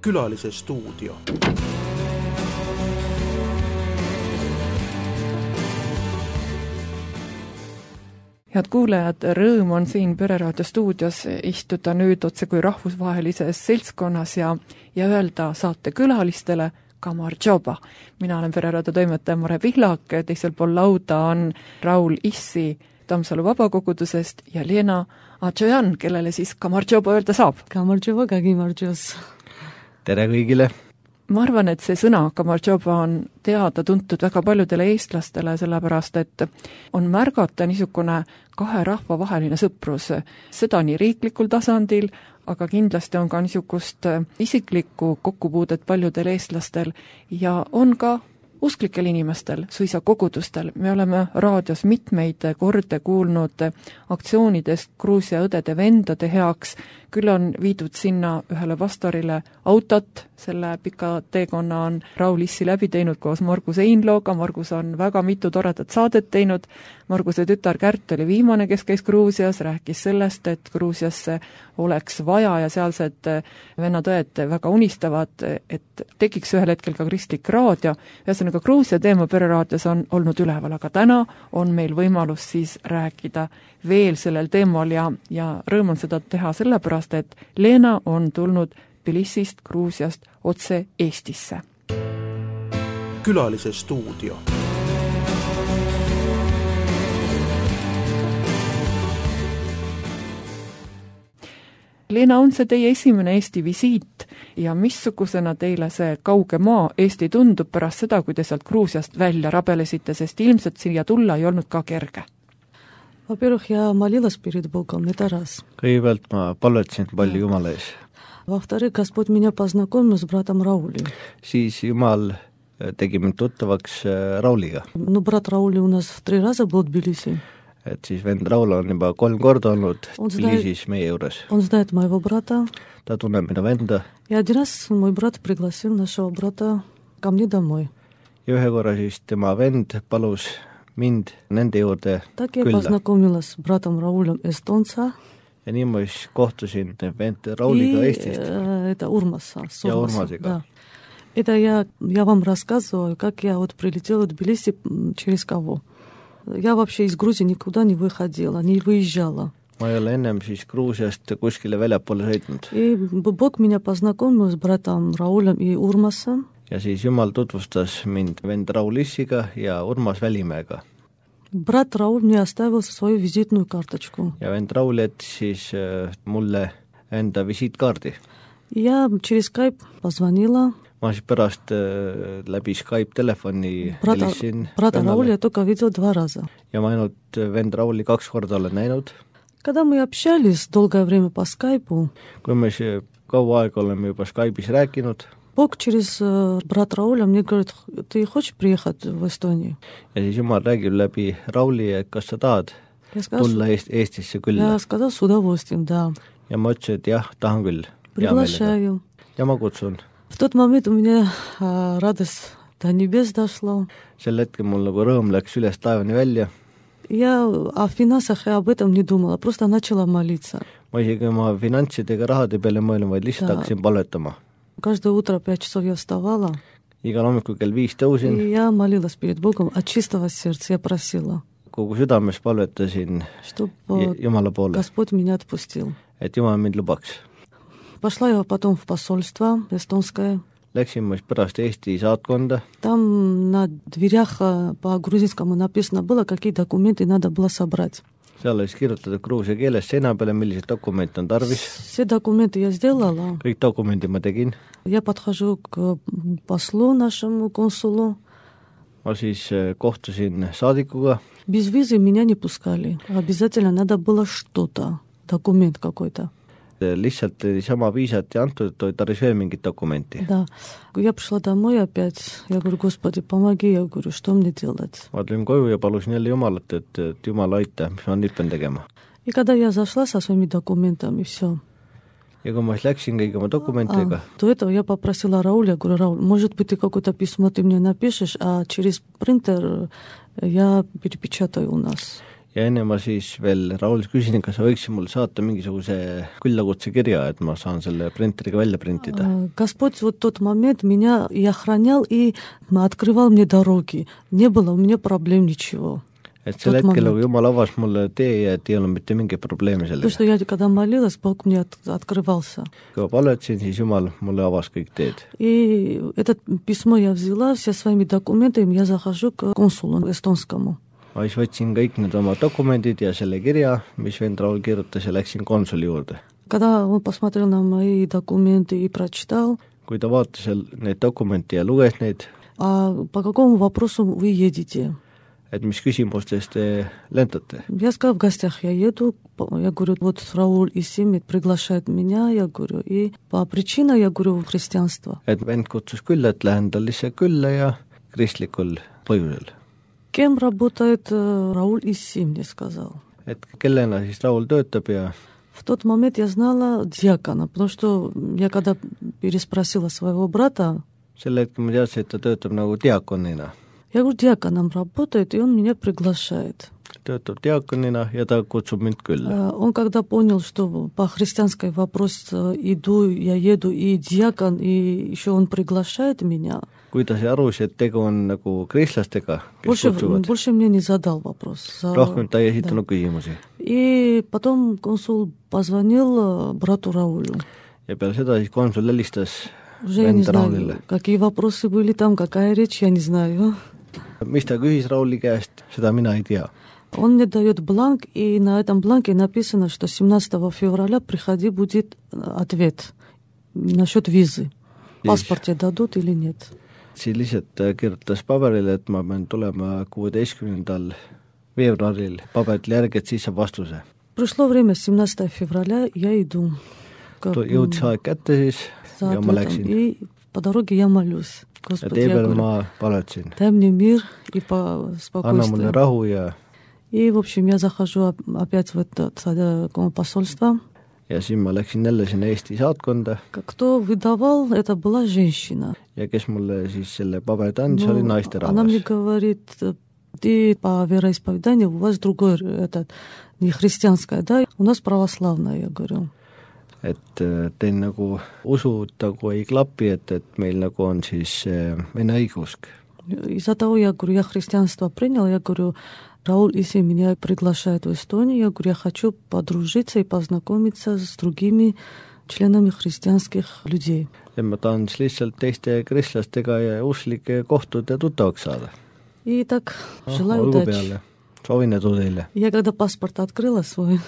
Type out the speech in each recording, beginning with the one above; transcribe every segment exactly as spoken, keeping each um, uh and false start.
Külalise stuudio. Head kuulajad, rõõm on siin Pereraadio stuudios istuda nüüd otse kui rahvusvahelises seltskonnas ja, ja öelda saate külalistele Kamarjoba. Mina olen Pereraadio toimetaja Mare Pihlak, teisel pool lauda on Raul Issi Tammsalu vabakogudusest ja Lena Adžojan, kellele siis Kamarjoba öelda saab. Kamarjoba, Kagimarjos. Tere kõigile! Ma arvan, et see sõna Kamarjoba on teada tuntud väga paljudele eestlastele, sellepärast et on märgata niisugune kahe rahva vaheline sõprus. Seda nii riiklikul tasandil, aga kindlasti on ka niisugust isiklikku kokkupuudet paljudel eestlastel ja on ka usklikel inimestel, suisa kogudustel. Me oleme raadios mitmeid korde kuulnud aktsioonidest Gruusia õdede vendade heaks, küll on viidud sinna ühele pastorile autot, selle pika teekonna on Raul Issi läbi teinud koos Margus Einlooga, Margus on väga mitu toredat saadet teinud, Marguse tütar Kärt oli viimane, kes käis Gruusias, rääkis sellest, et Gruusiasse oleks vaja ja sealsed vennad-õed väga unistavad, et tekiks ühel hetkel ka kristlik raadio. Ühesõnaga Gruusia teema Pereraadios on olnud üleval, aga täna on meil võimalus siis rääkida veel sellel teemal ja, ja rõõm on seda teha sellepärast, et Lena on tulnud Tbilisist, Gruusiast otse Eestisse. Külalise stuudio. Lena, on see teie esimene Eesti visiit ja missugusena teile see kauge maa Eesti tundub pärast seda, kui te sealt Gruusiast välja rabelesite, sest ilmselt siia tulla ei olnud ka kerge? Во-первых, я молилась перед Богом, это раз. Kõigepealt ma palvetasin palju Jumala ees. Во-вторых, Господь меня познакомил с братом Раулем. Siis Jumal tegi mind tuttavaks Rauliga. Ну, брат Раули у нас три раза был в Тбилиси. Et siis vend Raul on juba kolm korda olnud Tbilisis meie juures. Он знает моего брата. Ta tunneb minu venda. И один раз мой брат пригласил нашего брата ко мне домой. Ja ühe korra siis tema vend palus mind nende juurde так я külla. познакомилась с братом Раулем эстонца. Ja nii ma siis kohtusin vend Rauliga Eestist. Это Урмаса. Ja Urmasiga. Да. Это я, я вам рассказываю, как я вот прилетела в Тбилиси через кого. Я вообще из Грузии никуда не выходила, не выезжала. Ma ei ole ennem siis Gruusiast kuskile väljapoole sõitnud. И Бог меня познакомил с братом Раулем и Урмасом. Ja siis Jumal tutvustas mind vend Raul Issiga ja Urmas Välimäega. Брат Рауль мне оставил свою визитную карточку. Ja vend Raul jättis siis mulle enda visiitkaardi. Я через Skype позвонила. Ma siis pärast äh, läbi Skype telefoni Брата, helistasin брата vennale. Рауля я только видел два раза. Ja ma ainult vend Rauli kaks korda olen näinud. Когда мы общались долгое время по Skype'у, kui me siis kaua aega oleme juba Skype'is rääkinud, Бог через брат Рауля мне говорит, ты хочешь приехать в Эстонию? ja siis Jumal räägib läbi Rauli, et kas sa tahad Я сказал, tulla Eest- Eestisse külla. я сказал с удовольствием, да. Ja ma ütlesin, et jah, tahan küll. Приглашаю. Ja ma kutsun. В тот момент у меня а, радость до небес дошла. Sel hetkel mul nagu rõõm läks üles taevani välja. Я о финансах и об этом не думала, просто начала молиться. Ma isegi oma finantsidega rahade peale mõelnud, vaid lihtsalt Da. hakkasin palvetama. Каждое утро пять часов я вставала, Igal hommikul kell viis tõusin, и я молилась перед Богом от чистого сердца. Я просила, kogu südames palvetasin чтобы Jumala poole, Господь меня отпустил. et Jumal mind lubaks. Пошла я потом в посольство эстонское. Läksin ma siis pärast Eesti saatkonda. Там на дверях по грузинскому написано было, какие документы надо было собрать. Seal oli siis kirjutatud Gruusia keeles seina peale, millised dokumente on tarvis. Все документы я сделала. Kõik dokumendid ma tegin. Я подхожу к послу нашему, консулу. Ma siis kohtusin saadikuga. Без визы меня не пускали. Обязательно надо было что-то, документ какой-то. Lihtsalt sama viisat ja antud, et tarvis veel mingit dokumenti. Да. Я пришла домой опять. Я говорю, Господи, помоги. Я говорю, что мне делать? Ma tulin koju ja palusin jälle Jumalat, et, et Jumal aita, mis ma nüüd pean tegema. И когда я зашла со своими документами, все. Ja kui ma siis läksin kõigi oma dokumentidega, А, до этого я попросила Рауля, говорю, Рауль, может быть, ты какое-то письмо ты мне напишешь, а через принтер я перепечатаю у нас. ja enne ma siis veel Raulis küsisin, kas sa võiksid mulle saata mingisuguse küllakutse kirja, et ma saan selle printeriga välja printida. Господь вот тот момент меня и охранял, и открывал мне дороги. Не было у меня проблем ничего. Et sel hetkel, kui Jumal avas mulle tee ja et ei olnud mitte mingi probleemi sellega. То, что я когда молилась, Бог мне открывался. Kui ma palvetsin, siis Jumal mulle avas kõik teed. И это письмо я взяла, все своими документами, я захожу к консулу эстонскому. Ma siis võtsin kõik need oma dokumendid ja selle kirja, mis vend Raul kirjutas ja läksin konsuli juurde. Когда он посмотрел на мои документы и прочитал, kui ta vaatas neid dokumente ja luges neid, а по какому вопросу вы едете? et mis küsimustes te lentate? Я сказала, в гостях я еду, я говорю, вот Рауль Исим приглашает меня, я говорю, и по причине, я говорю, христианство. Et vend kutsus külla, et lähen tal lihtsalt külla ja kristlikul põhjusel. Кем работает Рауль Исим, мне сказал. Et kellena siis Raul töötab ja в тот момент я знала диакона, потому что я когда переспросила своего брата, selle hetkel ma teadsin, et ta töötab nagu diakonina. Я говорю, диаконом работает, и он меня приглашает. Töötab diakonina ja ta kutsub mind külla. Он когда понял, что по христианской вопрос иду, я еду, и диакон, и еще он приглашает меня. Kui ta sai aru, et tegu on nagu kristlastega, kes больше, kutsuvad. Больше мне не задал вопрос. Rohkem ta ei esitanud да. küsimusi. И потом консул позвонил брату Раулю. Ja peale seda siis konsul helistas Уже я не знаю, какие вопросы были там, какая речь, я не знаю. Mis ta küsis Rauli käest, seda mina ei tea. Он мне дает бланк, и на этом бланке написано, что семнадцатого февраля приходи, будет ответ насчет визы. Паспорт тебе дадут или нет? Siis lihtsalt kirjutas paberile, et ma pean tulema kuueteistkümnendal veebruaril paberile järgi, et siis saab vastuse. Пришло время семнадцатого февраля, я иду. Jõudis aeg kätte siis ja ma läksin. И по дороге я молюсь. Господи, ja tee peal ma palvetsin. Дай мне мир и по спокойствию. Anna mulle rahu ja... И, в общем, я захожу опять в это посольство. Ja siis ma läksin jälle sinna Eesti saatkonda. Кто выдавал, это была женщина. Ja kes mulle siis selle paberit andis, oli naisterahvas. Она мне говорит, ты по вероисповеданию, у вас другой, это не христианское, да? У нас православное, я говорю. Et teil nagu usud nagu ei klapi, et, et meil nagu on siis vene õigusk. Из-за того, я говорю, я христианство принял, я говорю, Рауль Исим меня приглашает в Эстонию, я говорю, я хочу подружиться и познакомиться с другими членами христианских людей. Ja ma tahan siis lihtsalt teiste kristlastega ja usklike kohtuda ja tuttavaks saada. И так, желаю удачи. Soovin edu teile. Я когда паспорт открыла свой,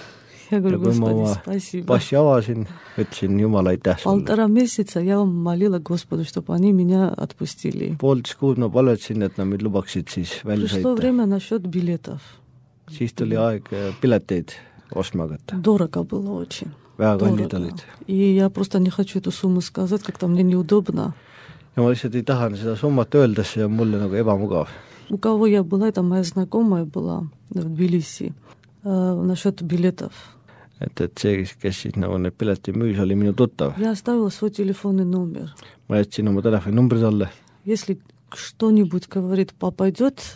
я говорю, Господи, спасибо. Passi avasin, ütlesin Jumala aitäh sulle. Полтора месяца я молила Господу, чтобы они меня отпустили. Poolteist kuud ma palvetsin, et nad mind lubaksid siis välja Пришло sõita. время насчет билетов. Siis tuli aeg pileteid ostma hakata. Дорого было очень. Väga kallid olid. И я просто не хочу эту сумму сказать, как-то мне неудобно. Ja ma lihtsalt ei taha seda summat öelda, see on mulle nagu ebamugav. У кого я была, это моя знакомая была в Тбилиси, э, насчет билетов. Et, et see, kes siis nagu need pileti müüs, oli minu tuttav. Я оставила свой телефонный номер. Ma jätsin oma telefoninumbri talle. Если что-нибудь, говорит, попадет,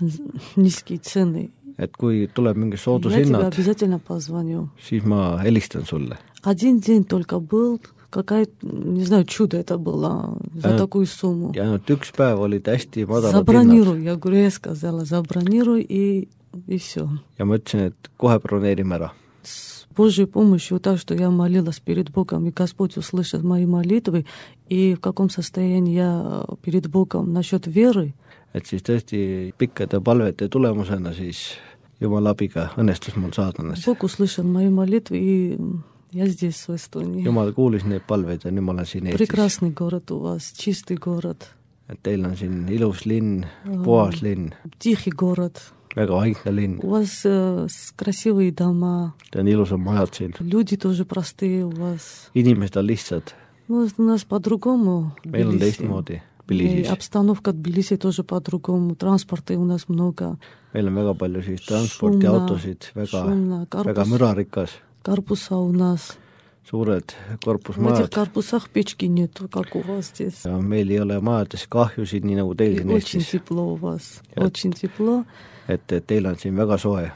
низкие цены, et kui tuleb mingi я тебе soodushinnad, обязательно позвоню. siis ma helistan sulle. Один день только был, какая-то, не знаю, чудо это было за Ainult- такую сумму. Ja ainult üks päev olid hästi madalad hinnad. Забронируй, я говорю, я сказала, забронируй и, и все. Ja ma ütlesin, et kohe broneerime ära. С Божьей помощью, так что я молилась перед Богом, и Господь услышит мои молитвы, и в каком состоянии я перед Богом насчет веры. Et siis tõesti pikkade palvete tulemusena siis Jumala abiga õnnestus mul saada ennast. Бог услышал мои молитвы, и я здесь, в Эстонии. Jumal kuulis neid palveid ja nüüd ma olen siin Eestis. Прекрасный город у вас, чистый город, Et teil on siin ilus linn, puhas linn, тихий город. väga vaikne linn. У вас э, с- красивые дома, Teil on ilusad majad siin. люди тоже простые у вас. Inimesed on lihtsad. Ну, у нас по-другому. в Meil on Тбилиси. teistmoodi И Tbilisis. обстановка Тбилиси тоже по-другому. Транспорта у нас много. Meil on väga palju siis transporti, Šumna, autosid, väga, šumna, väga karpus. mürarikas. Корпуса у нас. Suured В этих korpusmajad. корпусах печки нету, как у вас здесь. Ja meil ei ole majades kahjusid, nii nagu teil И siin очень Eestis. тепло у вас. Ja- Очень тепло. Et, et teil on siin väga soe.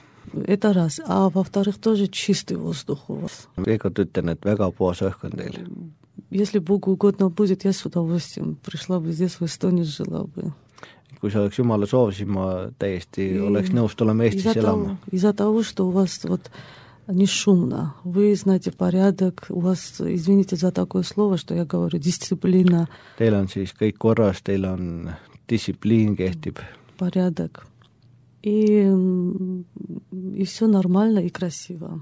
это раз. А во-вторых, тоже чистый воздух у вас. Veel kord ütlen, et väga puhas õhk on teil. Если Богу угодно будет, я с удовольствием пришла бы здесь, в Эстонии, жила бы. Kui see oleks Jumala soov, siis ma täiesti oleks nõus tulema Eestis elama. Из-за того, что у вас вот не шумно, вы знаете порядок, у вас, извините за такое слово, что я говорю, дисциплина. Teil on siis kõik korras, teil on distsipliin kehtib. Порядок. И, и все нормально и красиво.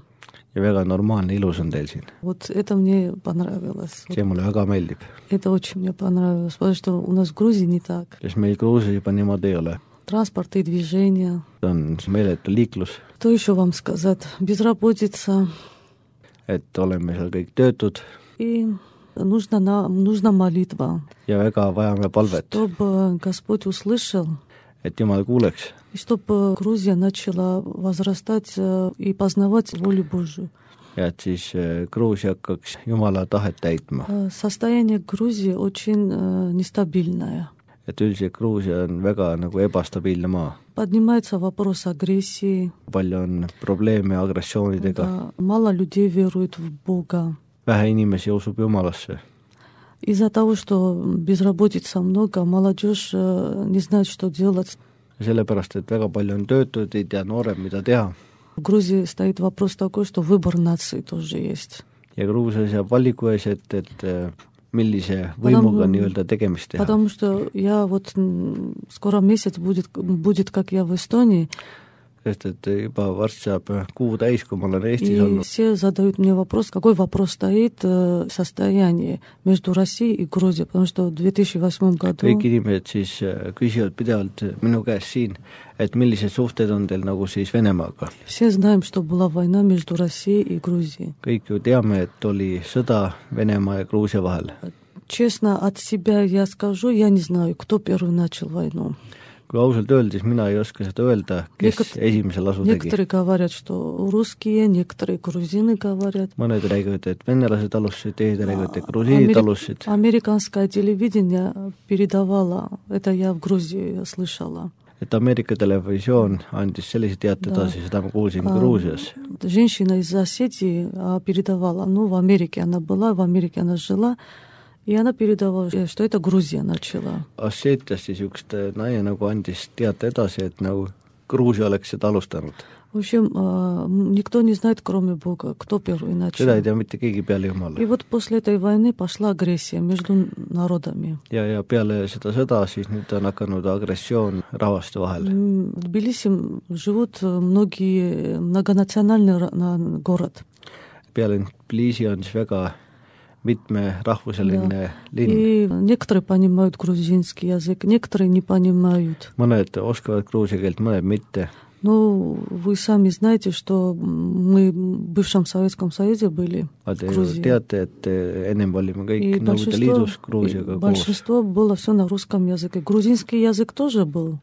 Ja väga normaalne, ilus on teil siin. Вот это мне понравилось. See mulle väga meeldib. Это очень мне понравилось, потому что у нас в Грузии не так. Sest meil Gruusias juba niimoodi ei ole. Транспорт и движение. On meeletu liiklus. Что еще вам сказать? Безработица. Et oleme seal kõik töötud. И нужна, нужна молитва. Ja väga vajame palvet. Чтобы Господь услышал. Et Jumal kuuleks. И чтобы Грузия начала возрастать и познавать волю Божию. Ja et siis Gruusia hakkaks Jumala tahet täitma. Состояние Грузии очень нестабильное. Et üldiselt Gruusia on väga nagu ebastabiilne maa. Поднимается вопрос агрессии. Palju on probleeme agressioonidega. Да, мало людей верует в Бога. Vähe inimesi usub Jumalasse. Из-за того, что безработица много, молодежь не знает, что делать. Sellepärast, et väga palju on töötud, ei tea noorem, mida teha. В Грузии стоит вопрос такой, что выбор нации тоже есть. Ja Gruusia seab valiku ees, et, et millise võimuga потому, nii-öelda tegemist teha. Потому что я вот скоро месяц будет, будет как я в Эстонии. Sest et juba varsti saab kuu täis, kui ma olen Eestis и olnud. Все задают мне вопрос, какой вопрос стоит состояние между Россией и Грузией, потому что в две тысячи восьмом году... Kõik inimesed siis küsivad pidevalt minu käest siin, et millised suhted on teil nagu siis Venemaaga. Все знаем, что была война между Россией и Грузией. Kõik ju teame, et oli sõda Venemaa ja Gruusia vahel. Честно, от себя я скажу, я не знаю, кто первый начал войну. Kui ausalt öeldes, mina ei oska seda öelda, kes Некот... esimesel asu tegi. Некоторые говорят, что русские, некоторые грузины говорят. Mõned räägivad, et venelased alustasid, teised räägivad, et grusiinid alustasid. Американское телевидение передавало, это я в Грузии слышала. Et Ameerika televisioon andis sellise teate edasi, seda ma kuulsin Gruusias. Женщина из Осетии передавала, ну, в Америке она была, в Америке она жила, и она передавала, что это Грузия начала. Osseetiast siis üks naine nagu andis teate edasi, et nagu Gruusia oleks seda alustanud. В общем, никто не знает, кроме Бога, кто первый начал. Seda ei tea mitte keegi peale Jumala. И вот после этой войны пошла агрессия между народами. Ja, ja peale seda sõda siis nüüd on hakanud agressioon rahvaste vahel. В Тбилиси живут многие, многонациональный город. Peale Tbilisi on siis väga mitmerahvuseline да. linn. И некоторые понимают грузинский язык, некоторые не понимают. Mõned oskavad gruusia keelt, mõned mitte. Ну, вы сами знаете, что мы в бывшем Советском Союзе были в Грузии. Teate, et ennem olime kõik Nõukogude Liidus Gruusiaga koos. Большинство было все на русском языке. Грузинский язык тоже был.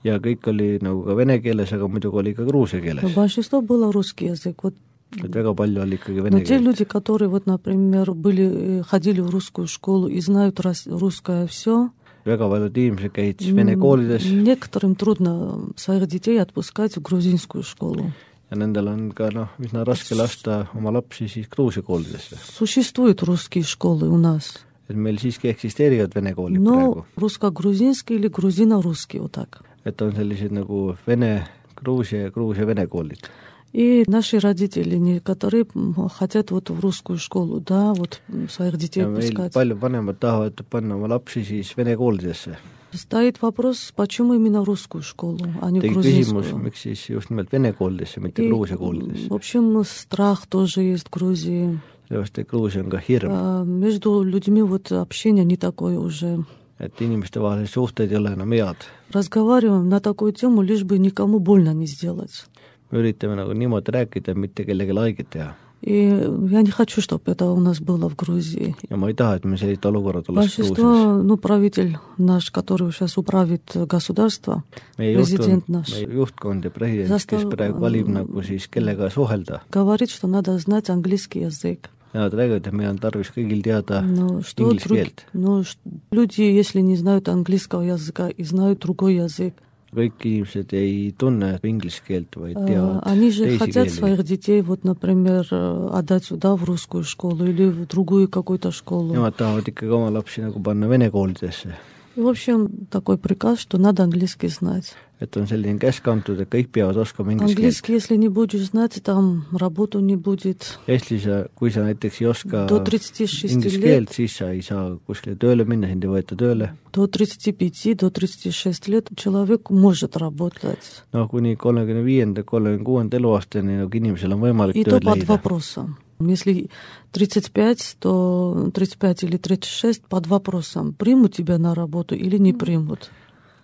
Ja kõik oli nagu ka vene keeles, aga muidugi oli ka gruusia keeles. Большинство было русский язык. Вот. Et väga palju oli ikkagi vene keelt. Но те люди, которые, вот, например, были, ходили в русскую школу и знают русское все, väga paljud inimesed käid vene koolides. Некоторым трудно своих детей отпускать в грузинскую школу. Ja nendel on ka noh, üsna raske lasta oma lapsi siis Gruusia koolidesse. Существуют русские школы у нас. Et meil siiski eksisteerivad vene koolid no, praegu. Русско-грузинский или грузино-русский, вот так. Et on sellised nagu vene, Gruusia ja Gruusia vene koolid. И наши родители, некоторые хотят вот в русскую школу, да, вот своих детей пускать. Palju vanemad tahavad panna oma lapsi siis vene koolidesse. Стоит вопрос, почему именно русскую школу, а не грузинскую. Küsimus, miks siis just nimelt vene koolidesse, mitte Gruusia koolidesse. В общем, страх тоже есть в Грузии. Sellepärast, et Gruusia on ka hirm. А, между людьми вот общение не такое уже. Et inimeste vahel suhted ei ole enam head. Разговариваем на такую тему, лишь бы никому больно не сделать. Me üritame nagu niimoodi rääkida, mitte kellegi haiget teha. И я не хочу, чтобы это у нас было в Грузии. Ja ma ei taha, et me sellist olukorrad oleks Большинство, ну, правитель наш, который сейчас управит государство, президент наш, meie juhtkond ja president, kes praegu valib nagu siis kellega suhelda, говорит, что надо знать английский язык. Ja nad räägivad, et meil on tarvis kõigil teada no, inglise keelt. No, люди, если не знают английского языка и знают другой язык, kõik inimesed ei tunne inglise keelt, vaid teavad Они же teisi хотят keeli. своих детей, вот, например, отдать сюда в русскую школу или в другую какую-то школу. Nemad tahavad ikkagi oma lapsi nagu panna vene koolidesse. И, в общем, такой приказ, что надо английский знать. Et on selline käsk antud, et kõik peavad oskama inglise keelt. Английский, если не будешь знать, там работу не будет. Eestis, kui sa näiteks ei oska До тридцати шести inglise лет, keelt, siis sa ei saa kuskile tööle minna, sind ei võeta tööle. до тридцати пяти, до тридцати шести лет человек может работать. No kuni kolmekümne viienda, kolmekümne kuuenda eluaastani nagu inimesel on võimalik И то tööd под leida. вопросом. Если тридцать пять, то тридцать пять или тридцать шесть под вопросом, примут тебя на работу или не примут.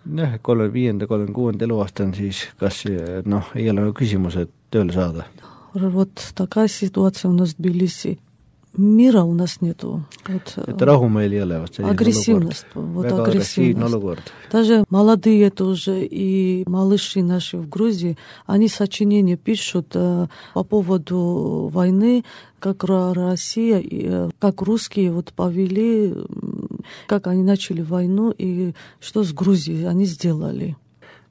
Jah, kolmekümne viienda, kolmekümne kuuenda eluaastan siis kas noh, ei ole nagu küsimus, et tööle saada. Вот такая ситуация у нас в Тбилиси. Мира у нас нету. Вот, Et rahu meil ei ole, vast selline агрессивность. olukord. Вот Väga agressiivne агрессивность. olukord. Даже молодые тоже и малыши наши в Грузии, они сочинения пишут э, по поводу войны, как Ра- Россия, и, э, как русские вот повели, м, как они начали войну и что с Грузией они сделали.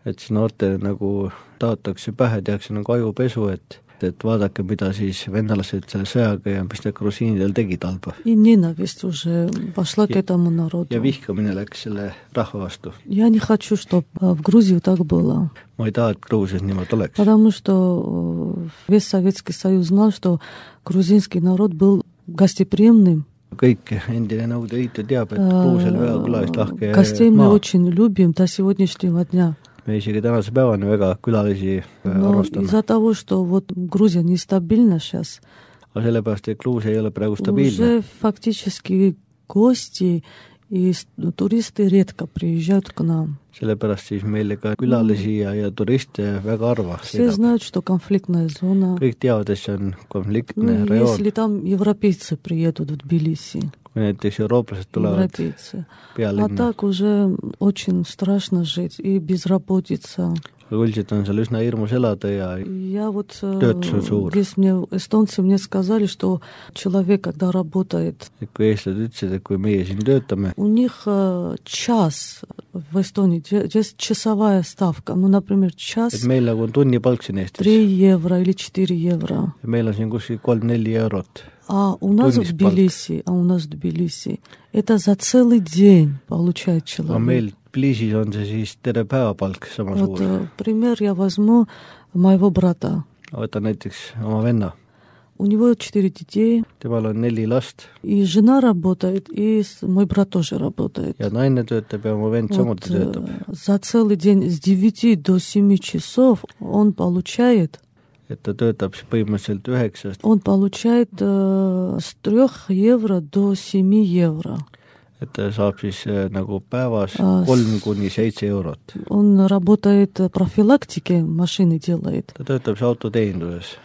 Et siis noortele nagu taotakse pähe, tehakse nagu ajupesu, et et vaadake, mida siis vennalased selle sõjaga ja mis need grusiinidel tegid halba. И ненависть уже пошла к этому народу. Ja vihkamine läks selle rahva vastu. Я не хочу, чтобы в Грузии так было. Ma ei taha, et Gruusias niimoodi oleks. Потому что весь Советский Союз знал, что грузинский народ был гостеприимным. Kõik endine Nõukogude Liitu teab, et Gruusia oli väga külalist-lahke Гостей мы maa. очень любим до сегодняшнего дня. Me isegi tänase päevani väga külalisi Но arvostame. из-за того, что вот Грузия нестабильна сейчас, Aga sellepärast, et Gruusia ei ole praegu stabiilne. уже фактически гости и с- туристы редко приезжают к нам. Sellepärast siis meile ka külalisi ja, ja turiste väga harva. Все знают, что конфликтная зона. Kõik teavad, et see on konfliktne Ну, rajoon. если там европейцы приедут в Тбилиси, Kui näiteks eurooplased tulevad европейцы. А pealinna. так уже очень страшно жить и безработица. Aga üldiselt on seal üsna hirmus elada ja Я вот, э, Töötus on suur. здесь мне, эстонцы мне сказали, что человек, когда работает, et kui eestlased ütlesid, et kui meie siin töötame, у них э, час в Эстонии, здесь часовая ставка, ну, например, et час meil nagu on tunnipalk siin Eestis. три евро или четыре евро. Ja meil on siin kuskil kolm-neli eurot. А у нас в Tunnis Тбилиси, а у нас в Тбилиси, это за целый день получает Aga человек. meil Tbilisis on see siis terve päevapalk sama Вот suur. э, пример я возьму моего брата. Võta näiteks oma venna. У него четыре детей, Temal on neli last и жена работает, и с- мой брат тоже работает. ja naine töötab ja oma vend Вот, samuti э, töötab. за целый день с девяти до семи часов он получает, Et ta töötab siis põhimõtteliselt üheksast, он получает э, с трех евро до семи евро. et ta saab siis äh, nagu päevas Aa, s- kolm kuni seitse eurot. Он работает э, профилактики, машины делает. Ta töötab siis autoteeninduses.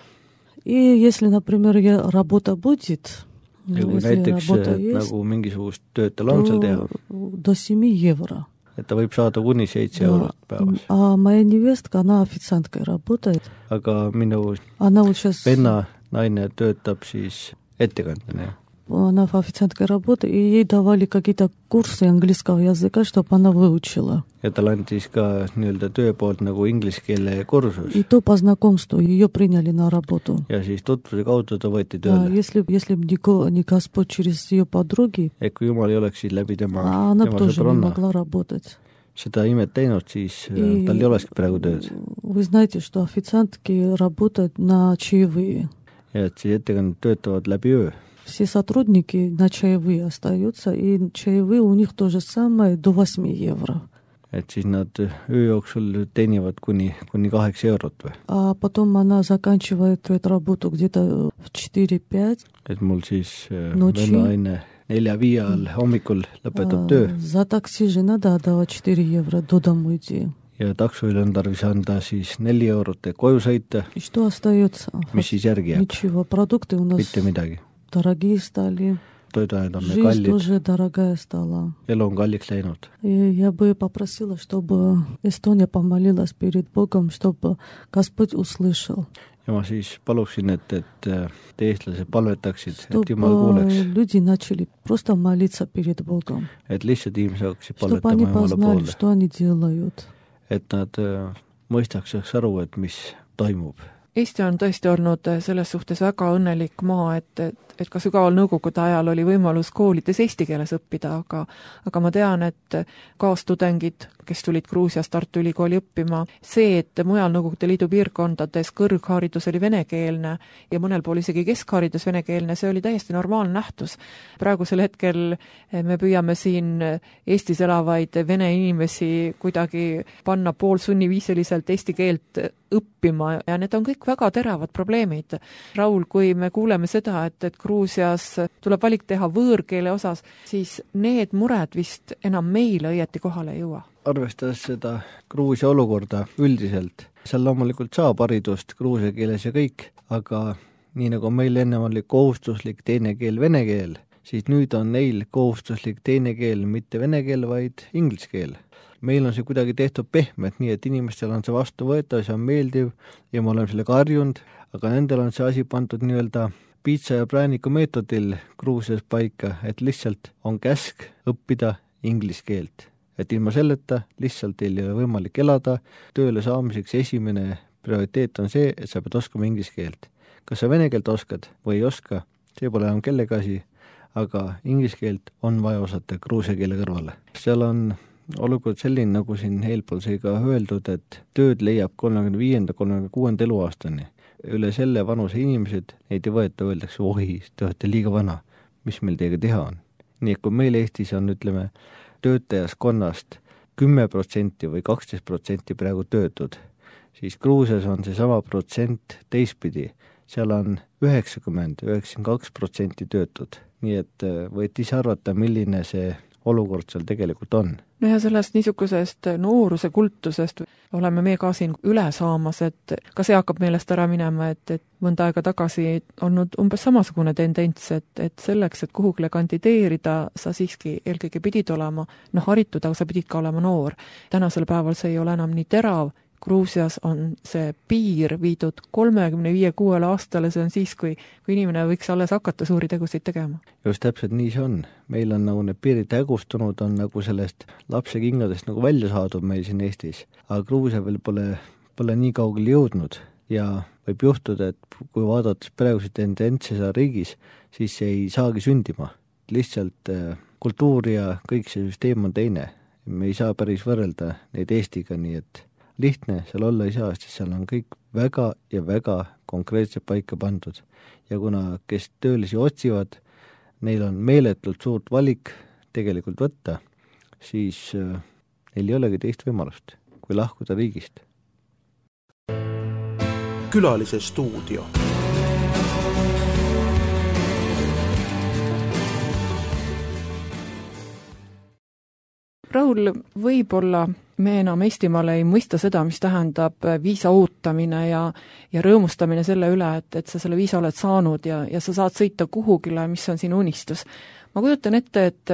И если, например, я- работа будет, Ja kui если näiteks работа äh, есть, nagu mingisugust tööd tal on seal teha, то до семи евро. et ta võib saada kuni seitse Да. eurot päevas. А моя невестка, она официанткой работает. Aga minu Она вот сейчас, venna naine töötab siis ettekandjana. она официанткой работает, и ей давали какие-то курсы английского языка, чтобы она выучила. Ja tal andis ka nii-öelda töö poolt nagu inglise keele kursus. И то по знакомству ее приняли на работу. Ja siis tutvuse kaudu ta võeti Да, tööle. если, если бы не, Го- не Господь через ее подруги, Et kui Jumal ei oleks siis läbi tema, а она бы tema тоже не sõbranna могла работать. seda imet teinud, siis И äh, tal ei olekski praegu tööd. вы знаете, что официантки работают на чаевые. Ja et siis ettekandjad töötavad läbi öö. Все сотрудники на чаевые остаются, и чаевые у них то же самое до восьми евро. Et siis nad öö jooksul teenivad kuni, kuni kaheksa eurot või. А потом она заканчивает эту работу где-то в четыре-пять. Et mul siis äh, Notsi. vennaine nelja-viie all hommikul lõpetab töö За такси же надо отдавать четыре евро до дома идти. ja taksoil on tarvis anda siis neli eurot, et koju sõita, И что остается? mis siis järgi jääb? Ничего. Продукты у нас Mitte midagi. дорогие стали. Toiduained on meil Жизнь kallid, тоже дорогая стала. elu on kalliks läinud. И я бы попросила, чтобы Эстония помолилась перед Богом, чтобы Господь услышал. Ja ma siis paluksin, et, et äh, te eestlased palvetaksid, et Чтобы Jumal kuuleks, люди начали просто молиться перед Богом. et lihtsalt inimesed hakkasid Чтобы они palvetama Jumala познали, poole. что они делают. et nad mõistaks aru, et mis toimub. Eesti on tõesti olnud selles suhtes väga õnnelik maa, et, et, et ka sügaval nõukogude ajal oli võimalus koolides eesti keeles õppida, aga aga ma tean, et kaastudengid, kes tulid Gruusiast Tartu Ülikooli õppima, see, et mujal Nõukogude Liidu piirkondades kõrgharidus oli venekeelne ja mõnel pool isegi keskharidus venekeelne, see oli täiesti normaalne nähtus. Praegusel hetkel me püüame siin Eestis elavaid vene inimesi kuidagi panna poolsunniviisiliselt eesti keelt õppima ja need on kõik väga teravad probleemid. Raul, kui me kuuleme seda, et, et Gruusias tuleb valik teha võõrkeele osas, siis need mured vist enam meile õieti kohale ei jõua. Arvestades seda Gruusia olukorda üldiselt, seal loomulikult saab haridust gruusia keeles ja kõik, aga nii nagu meil ennem oli kohustuslik teine keel vene keel, siis nüüd on neil kohustuslik teine keel mitte vene keel, vaid inglise keel. Meil on see kuidagi tehtud pehmet, nii et inimestel on see vastu võetav, see on meeldiv ja me oleme sellega harjunud, aga nendel on see asi pandud nii-öelda piitsa ja prääniku meetodil Gruusias paika, et lihtsalt on käsk õppida inglise keelt. Et ilma selleta lihtsalt teil ei ole võimalik elada, tööle saamiseks esimene prioriteet on see, et sa pead oskama inglise keelt. Kas sa vene keelt oskad või ei oska, see pole enam kellega asi, aga inglise keelt on vaja osata gruusia keele kõrvale. Seal on olukord selline, nagu siin eelpool sai ka öeldud, et tööd leiab kolmekümne viienda kolmekümne kuuenda eluaastani. Üle selle vanuse inimesed, neid ei võeta, öeldakse, ohi, te olete liiga vana, mis meil teiega teha on. Nii et kui meil Eestis on, ütleme, töötajaskonnast kümme protsenti või kaksteist protsenti praegu töötud, siis Gruusias on see sama protsent teistpidi. Seal on üheksakümmend, üheksakümmend kaks protsenti töötud. Nii et võite ise arvata, milline see olukord seal tegelikult on. No ja sellest niisugusest nooruse kultusest oleme me ka siin üle saamas, et ka see hakkab meelest ära minema, et, et mõnda aega tagasi olnud umbes samasugune tendents, et, et selleks, et kuhugile kandideerida, sa siiski eelkõige pidid olema noh, haritud, aga sa pidid ka olema noor. Tänasel päeval see ei ole enam nii terav. Gruusias on see piir viidud kolmekümne viie kuuele aastale, see on siis, kui, kui inimene võiks alles hakata suuri tegusid tegema. Just täpselt nii see on. Meil on nagu need piirid hägustunud, on nagu sellest lapse kingadest nagu välja saadud meil siin Eestis. Aga Gruusia veel pole, pole nii kaugele jõudnud ja võib juhtuda, et kui vaadates praeguse tendentsi seal riigis, siis see ei saagi sündima. Lihtsalt kultuur ja kõik see süsteem on teine. Me ei saa päris võrrelda neid Eestiga, nii et lihtne seal olla ei saa, sest seal on kõik väga ja väga konkreetselt paika pandud. Ja kuna kes töölisi otsivad, neil on meeletult suurt valik tegelikult võtta, siis neil ei olegi teist võimalust, kui lahkuda riigist. Külalise stuudio. Raul, võib-olla me enam Eestimaale ei mõista seda, mis tähendab viisa ootamine ja, ja rõõmustamine selle üle, et, et sa selle viisa oled saanud ja, ja sa saad sõita kuhugile, mis on sinu unistus. Ma kujutan ette, et,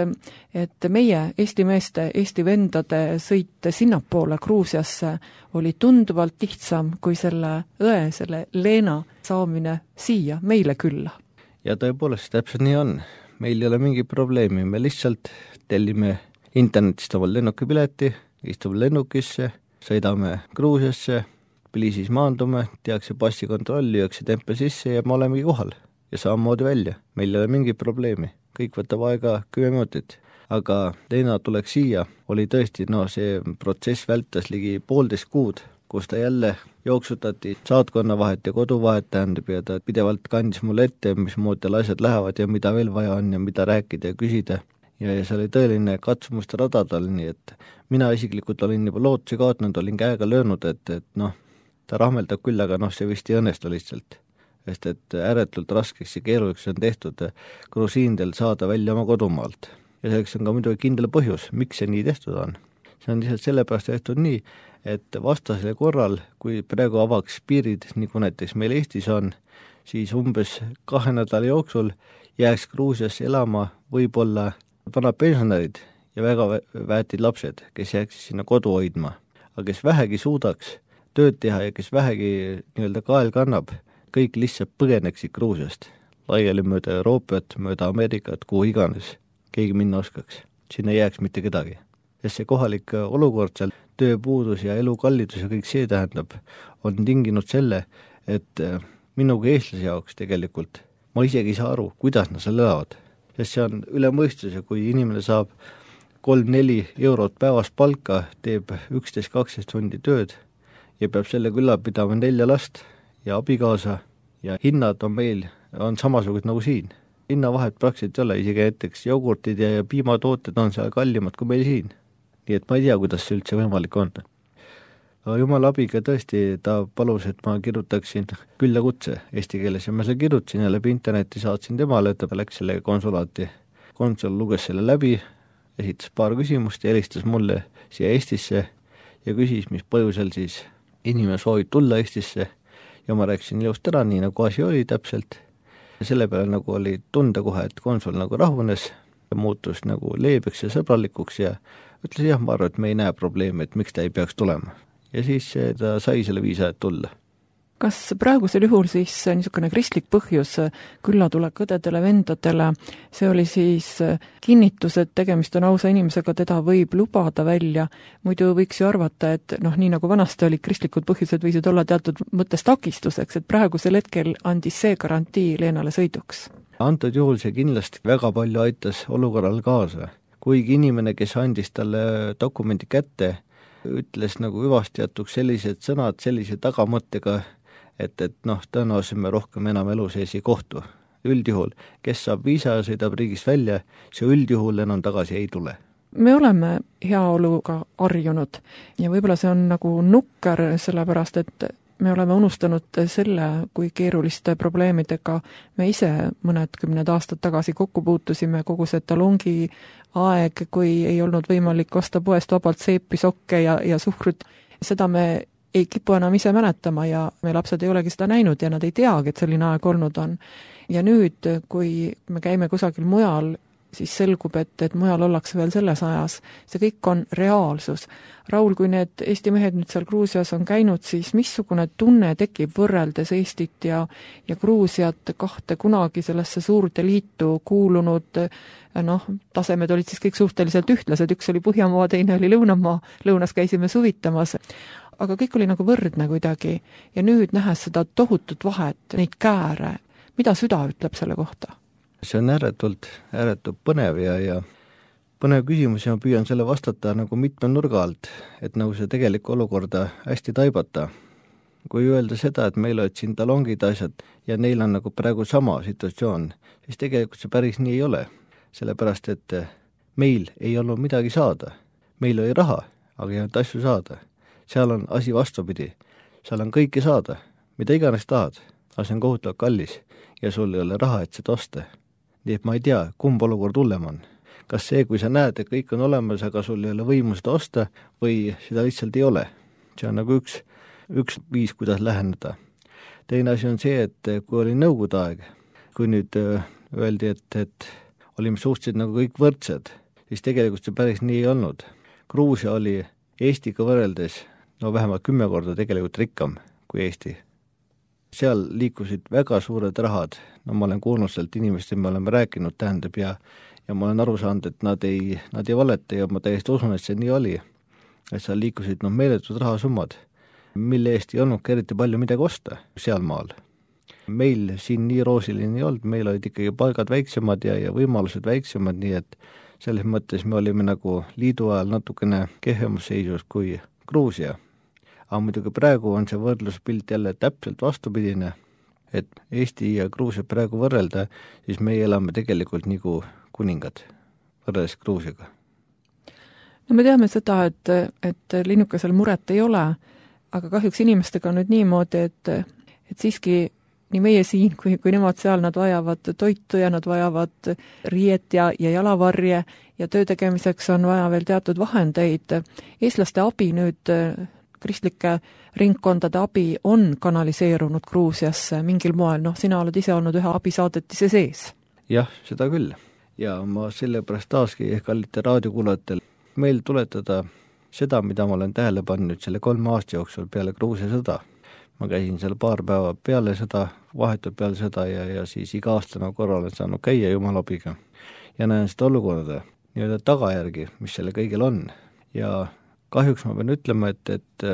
et meie Eesti meeste, Eesti vendade sõit sinnapoole Gruusiasse oli tunduvalt lihtsam kui selle õe, selle Leena saamine siia meile külla. Ja tõepoolest, täpselt nii on. Meil ei ole mingi probleemi, me lihtsalt tellime internetist omal lennukipileti, istume lennukisse, sõidame Gruusiasse, Tbilisis maandume, tehakse passikontroll, lüüakse tempel sisse ja me olemegi kohal ja samamoodi välja. Meil ei ole mingi probleemi, kõik võtab aega kümme minutit. Aga Leena tuleks siia, oli tõesti, no see protsess vältas ligi poolteist kuud, kus ta jälle jooksutati saatkonna vahet ja kodu vahet tähendab ja ta pidevalt kandis mulle ette, mis moodi asjad lähevad ja mida veel vaja on ja mida rääkida ja küsida. Ja, ja see oli tõeline katsumuste rada tal, nii et mina isiklikult olin juba lootuse kaotanud, olin käega löönud, et, et noh, ta rahmeldab küll, aga noh, see vist ei õnnestu lihtsalt. Sest et ääretult raskeks ja keeruliseks on tehtud grusiindel saada välja oma kodumaalt. Ja selleks on ka muidugi kindel põhjus, miks see nii tehtud on. See on lihtsalt sellepärast tehtud nii, et vastasele korral, kui praegu avaks piirid, nagu näiteks meil Eestis on, siis umbes kahe nädala jooksul jääks Gruusiasse elama võib-olla vanad pensionärid ja väga väetid lapsed, kes jääks sinna kodu hoidma. Aga kes vähegi suudaks tööd teha ja kes vähegi nii-öelda kael kannab, kõik lihtsalt põgeneksid Gruusiast. Laiali mööda Euroopat, mööda Ameerikat, kuhu iganes keegi minna oskaks. Sinna ei jääks mitte kedagi. sest see kohalik olukord seal, tööpuudus ja elukallidus ja kõik see tähendab, on tinginud selle, et minuga eestlase jaoks tegelikult ma isegi ei saa aru, kuidas nad seal elavad, sest see on üle mõistuse, kui inimene saab kolm-neli eurot päevas palka, teeb üksteist kaksteist tundi tööd ja peab selle külla pidama nelja last ja abikaasa ja hinnad on meil, on samasugused nagu siin. Hinnavahet praktiliselt ei ole, isegi näiteks jogurtid ja, ja piimatooted on seal kallimad kui meil siin. Nii et ma ei tea, kuidas see üldse võimalik on. Jumala abiga tõesti ta palus, et ma kirjutaksin küllakutse eesti keeles ja ma selle kirjutasin ja läbi interneti saatsin temale, et ta läks selle konsulaati. Konsul luges selle läbi, esitas paar küsimust ja helistas mulle siia Eestisse ja küsis, mis põhjusel siis inimene soovib tulla Eestisse ja ma rääkisin ilusti ära, nii nagu asi oli täpselt. Ja selle peale nagu oli tunda kohe, et konsul nagu rahunes ja muutus nagu leebeks ja sõbralikuks ja ütles jah, ma arvan, et me ei näe probleemi, et miks ta ei peaks tulema. Ja siis ta sai selle viisa, et tulla. Kas praegusel juhul siis niisugune kristlik põhjus küllatulek õdedele, vendadele, see oli siis kinnitus, et tegemist on ausa inimesega, teda võib lubada välja, muidu võiks ju arvata, et noh, nii nagu vanasti olid kristlikud põhjused, võisid olla teatud mõttes takistuseks, et praegusel hetkel andis see garantii Leenale sõiduks? Antud juhul see kindlasti väga palju aitas olukorral kaasa. Kuigi inimene, kes andis talle dokumendi kätte, ütles nagu hüvastijatuks sellised sõnad sellise tagamõttega, et, et noh, tõenäoliselt me rohkem enam elu sees ei kohtu. Üldjuhul, kes saab viisa ja sõidab riigist välja, see üldjuhul enam tagasi ei tule. Me oleme heaoluga harjunud ja võib-olla see on nagu nukker, sellepärast et me oleme unustanud selle, kui keeruliste probleemidega me ise mõned kümned aastad tagasi kokku puutusime, kogu see talongi aeg, kui ei olnud võimalik osta poest vabalt seepi, sokke ja, ja suhkrut. Seda me ei kipu enam ise mäletama ja me lapsed ei olegi seda näinud ja nad ei teagi, et selline aeg olnud on. Ja nüüd, kui me käime kusagil mujal, siis selgub, et, et mujal ollakse veel selles ajas. See kõik on reaalsus. Raul, kui need Eesti mehed nüüd seal Gruusias on käinud, siis missugune tunne tekib võrreldes Eestit ja, ja Gruusiat, kahte kunagi sellesse suurde liitu kuulunud, noh, tasemed olid siis kõik suhteliselt ühtlased, üks oli Põhjamaa, teine oli Lõunamaa, lõunas käisime suvitamas, aga kõik oli nagu võrdne kuidagi ja nüüd nähes seda tohutut vahet, neid kääre, mida süda ütleb selle kohta? See on ääretult, ääretult põnev ja, ja põnev küsimus ja ma püüan selle vastata nagu mitme nurga alt, et nagu see tegelikku olukorda hästi taibata. Kui öelda seda, et meil olid siin talongid asjad ja neil on nagu praegu sama situatsioon, siis tegelikult see päris nii ei ole, sellepärast et meil ei olnud midagi saada. Meil oli raha, aga ei olnud asju saada. Seal on asi vastupidi, seal on kõike saada, mida iganes tahad, aga see on kohutavalt kallis ja sul ei ole raha, et seda osta. Nii et ma ei tea, kumb olukord hullem on. Kas see, kui sa näed, et kõik on olemas, aga sul ei ole võimu seda osta või seda lihtsalt ei ole. See on nagu üks, üks viis, kuidas läheneda. Teine asi on see, et kui oli nõukogude aeg, kui nüüd öeldi, et, et olime suhteliselt nagu kõik võrdsed, siis tegelikult see päris nii ei olnud. Gruusia oli Eestiga võrreldes no vähemalt kümme korda tegelikult rikkam kui Eesti. Seal liikusid väga suured rahad, no ma olen kuulnud sealt inimest, me oleme rääkinud, tähendab, ja, ja ma olen aru saanud, et nad ei, nad ei valeta ja ma täiesti usun, et see nii oli. Et seal liikusid no, meeletud rahasummad, mille eest ei olnud eriti palju midagi osta seal maal. Meil siin nii roosiline ei olnud, meil olid ikkagi palgad väiksemad ja, ja võimalused väiksemad, nii et selles mõttes me olime nagu liidu ajal natukene kehvemas seisus kui Gruusia. Aga muidugi praegu on see võrdluspilt jälle täpselt vastupidine, et Eesti ja Gruusia praegu võrrelda, siis meie elame tegelikult nagu kuningad võrreldes Gruusiaga. No me teame seda, et, et linnukesel muret ei ole, aga kahjuks inimestega on nüüd niimoodi, et, et siiski nii meie siin kui, kui nemad seal, nad vajavad toitu ja nad vajavad riiet ja, ja jalavarje ja töö tegemiseks on vaja veel teatud vahendeid. Eestlaste abi nüüd, kristlike ringkondade abi on kanaliseerunud Gruusiasse mingil moel, noh, sina oled ise olnud ühe abisaadetise sees. Jah, seda küll. Ja ma sellepärast taaski kallite raadiokuulajatel meil tuletada seda, mida ma olen tähele pannud selle kolme aasta jooksul peale Gruusia sõda. Ma käisin seal paar päeva peale sõda, vahetud peale sõda ja, ja siis iga aastana korra olen saanud käia Jumala abiga. Ja näen seda olukorda, nii-öelda tagajärgi, mis selle kõigil on. ja kahjuks ma pean ütlema, et, et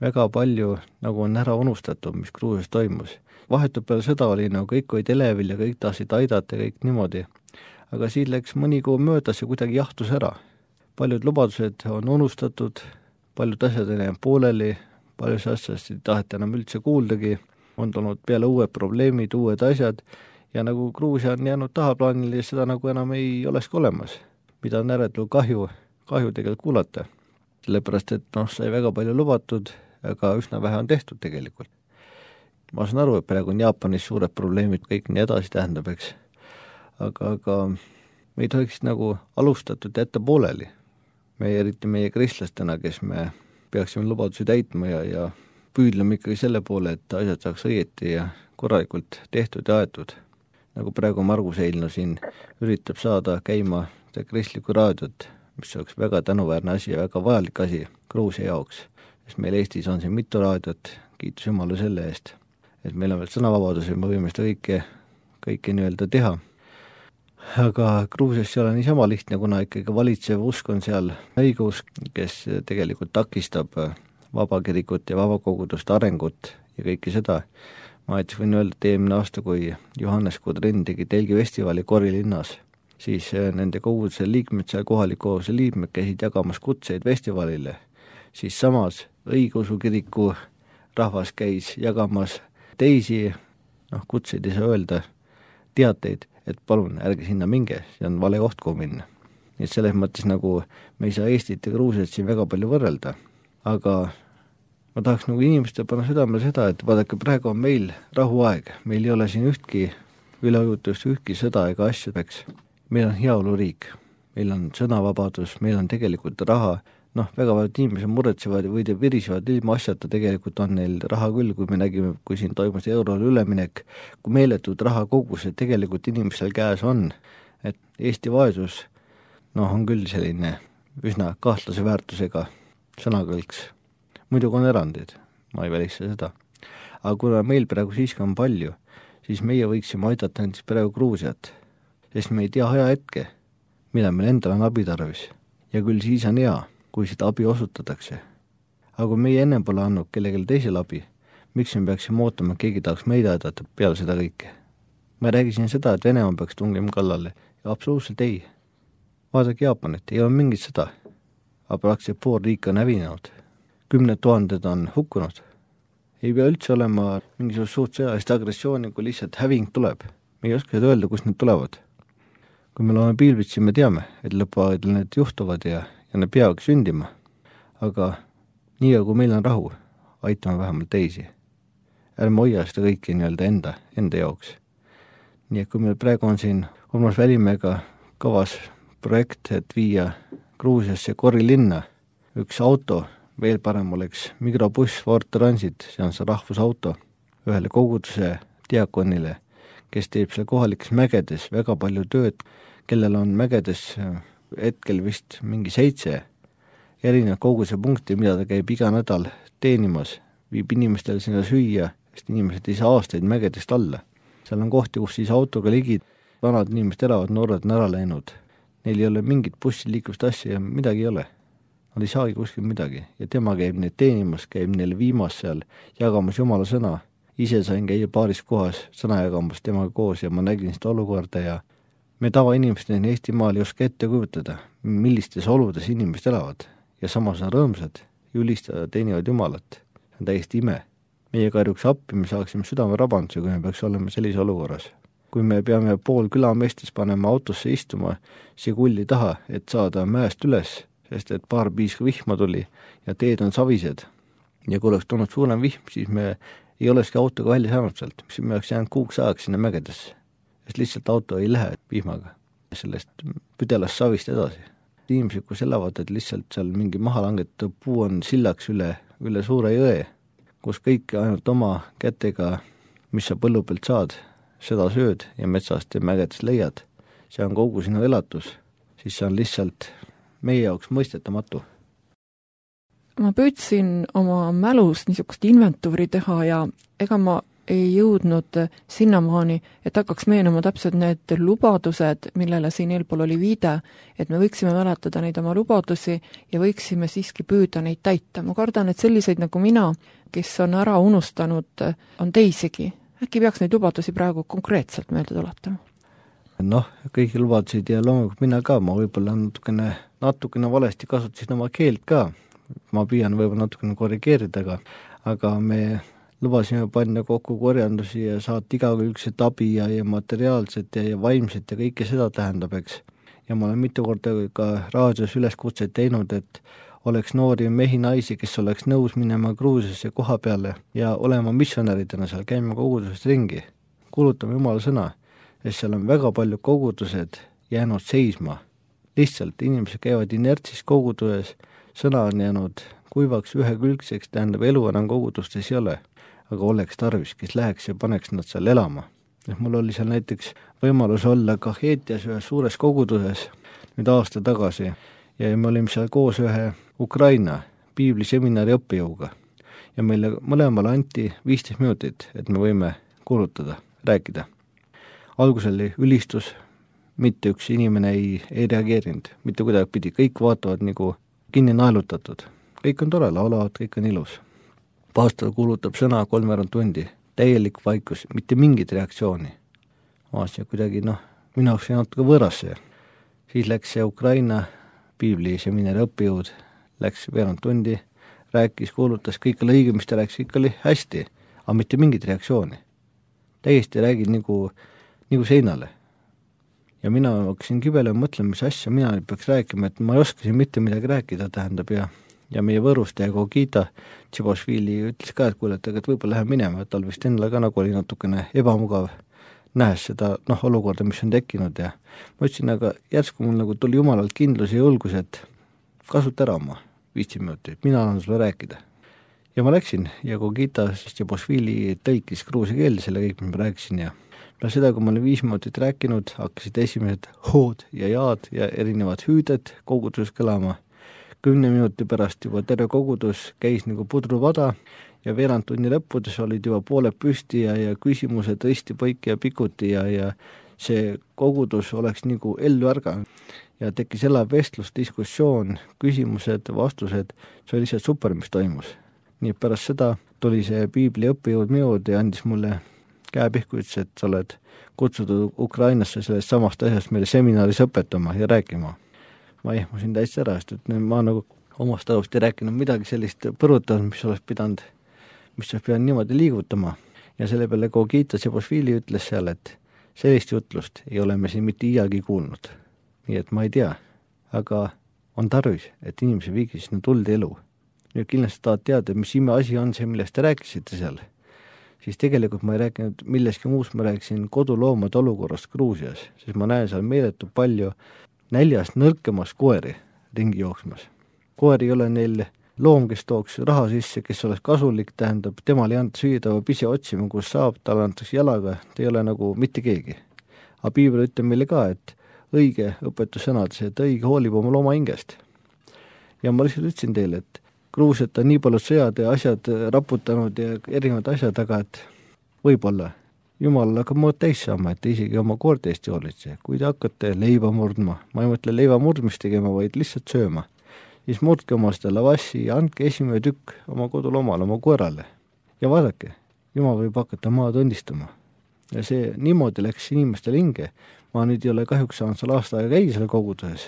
väga palju nagu on ära unustatud, mis Gruusias toimus. Vahetult peale sõda oli nagu kõik olid elevil ja kõik tahtsid aidata ja kõik niimoodi. Aga siin läks mõni kuu möödas ja kuidagi jahtus ära. Paljud lubadused on unustatud, paljud asjad on jäänud pooleli, paljus asjast ei taheta enam üldse kuuldagi, on tulnud peale uued probleemid, uued asjad ja nagu Gruusia on jäänud tahaplaanile ja seda nagu enam ei oleski olemas, mida on ääretult kahju, kahju tegelikult kuulata. Sellepärast, et noh, sai väga palju lubatud, aga üsna vähe on tehtud tegelikult. Ma saan aru, et praegu on Jaapanis suured probleemid, kõik nii edasi tähendab, eks. Aga, aga me ei tohiks nagu alustatud jätta pooleli. Me eriti meie kristlastena, kes me peaksime lubadusi täitma ja, ja püüdlema ikkagi selle poole, et asjad saaks õieti ja korralikult tehtud ja aetud. Nagu praegu Margus Eilno siin üritab saada käima kristlikku raadiot, mis oleks väga tänuväärne asi ja väga vajalik asi Gruusia jaoks. Sest meil Eestis on siin mitu raadiot, kiitus Jumala selle eest, et meil on veel sõnavabadus ja me võime seda kõike, kõike nii-öelda teha. Aga Gruusias ei ole niisama lihtne, kuna ikkagi valitsev usk on seal õigus, kes tegelikult takistab vabakirikut ja vabakogudust arengut ja kõike seda. Ma näiteks võin öelda, et eelmine aasta, kui Johannes Kudrin tegi Telgi festivali Korilinnas, siis nende koguduse liikmed, seal kohaliku koguduse liikmed käisid jagamas kutseid festivalile, siis samas õigeusu kiriku rahvas käis jagamas teisi, noh, kutseid ei saa öelda, teateid, et palun, ärge sinna minge, see on vale koht, kuhu minna. Nii et selles mõttes nagu me ei saa Eestit ja Gruusiat siin väga palju võrrelda, aga ma tahaks nagu inimeste panna südamele seda, et vaadake, praegu on meil rahuaeg, meil ei ole siin ühtki üleujutust, ühtki sõda ega asju, eks. Meil on heaoluriik, meil on sõnavabadus, meil on tegelikult raha, noh, väga paljud inimesed muretsevad või te virisevad ilma asjata, tegelikult on neil raha küll, kui me nägime, kui siin toimus eurole üleminek, kui meeletud raha kogused tegelikult inimestel käes on, et Eesti vaesus, noh, on küll selline üsna kahtlase väärtusega sõnakõlks. Muidugi on erandid, ma ei välista seda. Aga kuna meil praegu siiski on palju, siis meie võiksime aidata näiteks praegu Gruusiat, sest me ei tea aja hetke, mida meil endal on abi tarvis. Ja küll siis on hea, kui seda abi osutatakse. Aga kui meie ennem pole andnud kellelegi teisel abi, miks me peaksime ootama, keegi tahaks meid aidata peale seda kõike? Ma räägisin seda, et Venemaa peaks tungima kallale. Ja absoluutselt ei. Vaadake Jaapanit, ei ole mingit sõda. Aga praktiliselt pool riik on hävinenud. Kümned tuhanded on hukkunud. Ei pea üldse olema mingisugust suurt sõjalist agressiooni, kui lihtsalt häving tuleb. Me ei oska öelda, kus need tulevad. Kui me loome piilbitsi, me teame, et lõpuaegel need juhtuvad ja, ja need peavad sündima. Aga nii kui meil on rahu, aitame vähemalt teisi. Ärme hoia seda kõike nii-öelda enda, enda jaoks. Nii et kui meil praegu on siin Urmas Välimäega kavas projekt, et viia Gruusiasse Korilinna üks auto, veel parem oleks mikrobuss Ford Transit, see on see rahvusauto, ühele koguduse diakonile, kes teeb seal kohalikes mägedes väga palju tööd, kellel on mägedes hetkel vist mingi seitse erinev koguduse punkti, mida ta käib iga nädal teenimas, viib inimestele sinna süüa, sest inimesed ei saa aastaid mägedest alla. Seal on kohti, kus siis autoga ligid, vanad inimesed elavad, noored on ära läinud. Neil ei ole mingit bussiliiklust asja ja midagi ei ole. Nad ei saagi kuskil midagi ja tema käib neid teenimas, käib neile viimas seal, jagamas Jumala sõna. Ise sain käia paaris kohas sõna jagamas temaga koos ja ma nägin seda olukorda ja me tavainimestena Eestimaal ei oska ette kujutada, millistes oludes inimesed elavad ja samas on rõõmsad, ülistavad, teenivad Jumalat. See on täiesti ime. Meie karjuks appi, me saaksime südame rabanduse, kui me peaks olema sellise olukorras. Kui me peame pool külameestes panema autosse istuma Sigulli taha, et saada mäest üles, sest et paar piiska vihma tuli ja teed on savised. Ja kui oleks tulnud suurem vihm, siis me ei oleski autoga välja saanud sealt, mis me oleks jäänud kuuks ajaks sinna mägedesse. Sest lihtsalt auto ei lähe vihmaga sellest püdelast savist edasi. Inimesed, kus elavad, et lihtsalt seal mingi maha langetatud puu on sillaks üle, üle suure jõe, kus kõik ainult oma kätega, mis sa põllu pealt saad, seda sööd ja metsast ja mägedest leiad. See on kogu sinu elatus, siis see on lihtsalt meie jaoks mõistetamatu. Ma püüdsin oma mälus niisugust inventuuri teha ja ega ma ei jõudnud sinnamaani, et hakkaks meenuma täpselt need lubadused, millele siin eelpool oli viide, et me võiksime mäletada neid oma lubadusi ja võiksime siiski püüda neid täita. Ma kardan, et selliseid nagu mina, kes on ära unustanud, on teisigi. Äkki peaks neid lubadusi praegu konkreetselt meelde tuletama? Noh, kõigi lubadusid ja loomulikult mina ka, ma võib-olla natukene, natukene valesti kasutasin oma keelt ka. Ma püüan võib-olla natukene korrigeerida, aga, aga me lubasime panna kokku korjandusi ja saata igakülgset abi ja, ja materiaalset ja, ja vaimset ja kõike seda tähendab, eks. Ja ma olen mitu korda ka raadios üleskutseid teinud, et oleks noori mehi, naisi, kes oleks nõus minema Gruusiasse koha peale ja olema missionäridena seal, käima kogudusest ringi. Kuulutame Jumala sõna, sest seal on väga palju kogudused jäänud seisma. Lihtsalt inimesed käivad inertsis koguduses, sõna on jäänud kuivaks ühekülgseks, tähendab elu enam kogudustes ei ole. Aga oleks tarvis, kes läheks ja paneks nad seal elama. Mul oli seal näiteks võimalus olla Kaheetias ühes suures koguduses nüüd aasta tagasi ja me olime seal koos ühe Ukraina piibliseminari õppejõuga ja meile mõlemale anti viisteist minutit, et me võime kuulutada, rääkida. Algus oli ülistus, mitte üks inimene ei, ei reageerinud, mitte kuidagi pidi, kõik vaatavad nagu kinni naelutatud. Kõik on tore, laulavad, kõik on ilus. Pastor kuulutab sõna kolmveerand tundi, täielik vaikus, mitte mingit reaktsiooni. Vaatasin kuidagi, noh, minu jaoks ei natuke võõras see. Siis läks see Ukraina piibliseminari õppejõud, läks veerand tundi, rääkis, kuulutas, kõik oli õige, mis ta rääkis, kõik oli hästi, aga mitte mingit reaktsiooni. Täiesti räägid nagu, nagu seinale. Ja mina hakkasin kibele mõtlema, mis asja mina peaks rääkima, et ma ei oskasin mitte midagi rääkida, tähendab ja ja meie võõrustaja Kogita Tšibošvili ütles ka, et kuule, et võib-olla läheb minema, et tal vist endale ka nagu oli natukene ebamugav nähes seda noh, olukorda, mis on tekkinud ja ma ütlesin, aga järsku mul nagu tuli jumalalt kindlus ja julgus, et kasuta ära oma viisteist minutit, mina annan sulle rääkida. Ja ma läksin ja Kogita Tšibošvili tõlkis gruusia keelde selle kõik, mis ma rääkisin ja no seda, kui ma olin viis minutit rääkinud, hakkasid esimesed hood ja jaad ja erinevad hüüded koguduses kõlama. Kümne minuti pärast juba terve kogudus käis nagu pudruvada ja veerand tunni lõppudes olid juba pooled püsti ja, ja küsimused risti, põiki ja pikuti ja, ja see kogudus oleks nagu ellu ärganud ja tekkis elav vestlus, diskussioon, küsimused, vastused, see oli lihtsalt super, mis toimus. Nii pärast seda tuli see piibli õppejõud minud ja andis mulle käepihku, ütles, et sa oled kutsutud Ukrainasse sellest samast asjast meile seminaris õpetama ja rääkima. Ma ehmusin täitsa ära, sest et ma nagu omast arust ei rääkinud midagi sellist põrutanud, mis oleks pidanud, mis oleks pidanud niimoodi liigutama. Ja selle peale Kogita Tšibošvili ütles seal, et sellist jutlust ei ole me siin mitte iiagi kuulnud. Nii et ma ei tea, aga on tarvis, et inimese viigis sinna tuld elu. Nüüd kindlasti tahad teada, mis ime asi on see, millest te rääkisite seal. Siis tegelikult ma ei rääkinud milleski muust, ma rääkisin koduloomade olukorrast Gruusias, sest ma näen seal meeletu palju näljast nõrkemas koeri ringi jooksmas. Koer ei ole neil loom, kes tooks raha sisse, kes oleks kasulik, tähendab, temal ei anta süüa, ta peab ise otsima, kus saab, talle antakse jalaga, ta ei ole nagu mitte keegi. Aga piibel ütleb meile ka, et õige õpetussõnades, et õige hoolib oma looma hingest. Ja ma lihtsalt ütlesin teile, et Gruusiat on nii palju sõjad ja asjad raputanud ja erinevad asjad, aga et võib-olla Jumal hakkab mood täis saama, et isegi oma koorte eest joolitse. Kui te hakkate leiba murdma, ma ei mõtle leiva murdmist tegema, vaid lihtsalt sööma, siis murdke oma seda lavassi ja andke esimene tükk oma kodulomale, oma koerale. Ja vaadake, Jumal võib hakata maad õndistama. Ja see niimoodi läks inimestel hinge. Ma nüüd ei ole kahjuks saanud seal aasta aega käia selle koguduses,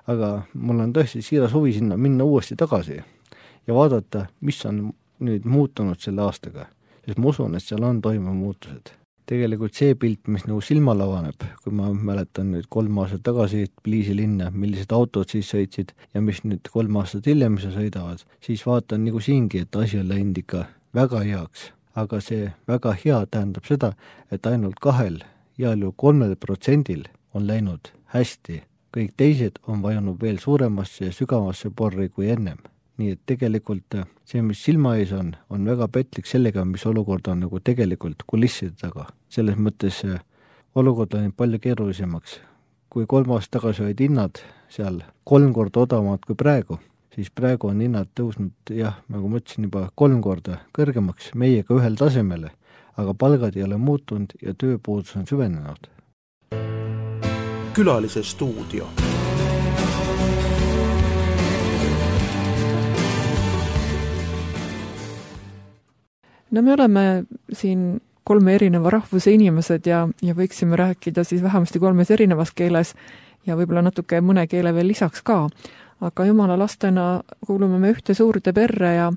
aga mul on tõesti siiras huvi sinna minna uuesti tagasi ja vaadata, mis on nüüd muutunud selle aastaga. Sest ma usun, et seal on toimunud muutused. Tegelikult see pilt, mis nagu silma lavaneb, kui ma mäletan nüüd kolm aastat tagasi Tbilisi linna, millised autod siis sõitsid ja mis nüüd kolm aastat hiljem sõidavad, siis vaatan nagu siingi, et asi on läinud ikka väga heaks. Aga see väga hea tähendab seda, et ainult kahel ja kolmel protsendil on läinud hästi. Kõik teised on vajunud veel suuremasse ja sügavasse porri kui ennem. Nii et tegelikult see, mis silma ees on, on väga petlik sellega, mis olukord on nagu tegelikult kulisside taga. Selles mõttes olukord on palju keerulisemaks. Kui kolm aastat tagasi olid hinnad seal kolm korda odavamad kui praegu, siis praegu on hinnad tõusnud, jah, nagu ma ütlesin juba kolm korda kõrgemaks meiega ühel tasemele, aga palgad ei ole muutunud ja tööpuudus on süvenenud. Külalise stuudio. No me oleme siin kolme erineva rahvuse inimesed ja, ja võiksime rääkida siis vähemasti kolmes erinevas keeles ja võib-olla natuke mõne keele veel lisaks ka. Aga jumala lastena kuulume me ühte suurde perre ja,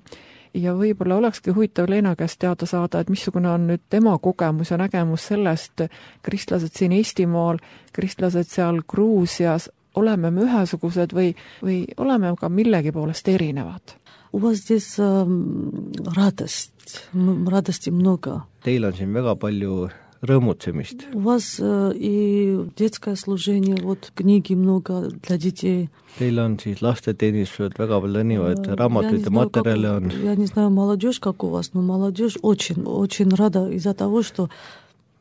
ja võib-olla olekski huvitav Leena käest teada saada, et missugune on nüüd tema kogemus ja nägemus sellest, kristlased siin Eestimaal, kristlased seal Gruusias, oleme me ühesugused või, või oleme ka millegi poolest erinevad? У вас здесь э, радость, радости много. Teil on siin väga palju rõõmutsemist. У вас э, и детское служение, вот книги много для детей. Teil on siis lasteteenistused, väga palju erinevaid raamatuid ja materjale on. Я не знаю, молодежь как у вас, но молодежь очень, очень рада из-за того, что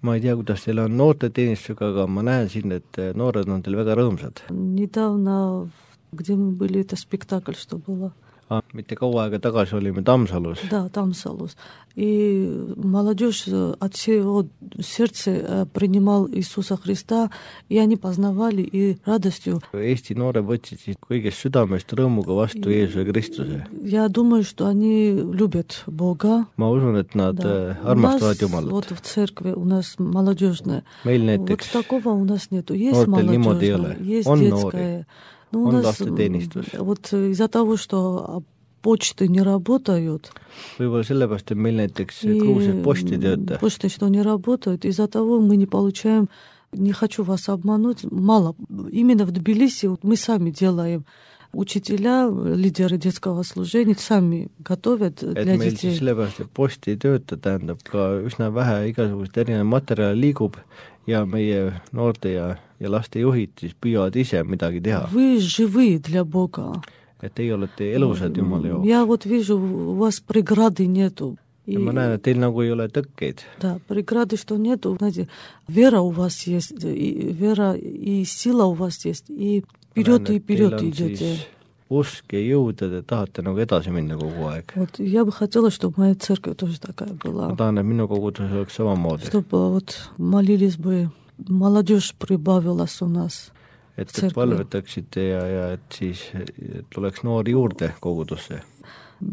ma ei tea, kuidas teil on noorteteenistusega, aga ma näen siin, et noored on teil väga rõõmsad. Недавно, где мы были, это спектакль, что было. Ah, mitte kaua aega tagasi olime Tammsalus. Да, Tammsalus. И молодежь от всего сердца принимал Иисуса Христа, и они познавали и радостью. Eesti noored võtsid siis kõigest südamest rõõmuga vastu Jeesuse Kristuse. Я думаю, что они любят Бога. Ma usun, et nad да. armastavad Jumalat. Вот в церкви у нас молодежная. Meil näiteks вот такого у нас нету. Есть молодежная, есть on детская. Но у on нас lasteteenistus. Вот из-за того, что почты не работают. Võib-olla sellepärast, et meil näiteks Gruusias posti tööta. Почты, что не работают, из-за того мы не получаем, не хочу вас обмануть, мало. Именно в Тбилиси вот мы сами делаем. Учителя, лидеры детского служения сами готовят et для meil детей. Siis sellepärast, et posti ei tööta, tähendab ka üsna vähe igasugust erinev materjali liigub ja meie noorte ja, ja laste juhid siis püüavad ise midagi teha. Вы живы для Бога. Et teie olete elusad Jumala jaoks. Я вот вижу, у вас преграды нету. Ja ma näen, et teil nagu ei ole tõkkeid. Да, преграды, что нету. Знаете, вера у вас есть, и вера и сила у вас есть, и вперед и вперед идете. Usk ja jõud, ja te tahate nagu edasi minna kogu aeg. Вот я бы хотела, чтобы моя церковь тоже такая была. Ma tahan, et minu kogudus oleks samamoodi. Чтобы вот молились бы, молодежь прибавилась у нас. Et te palvetaksite ja, ja et siis tuleks noori juurde kogudusse.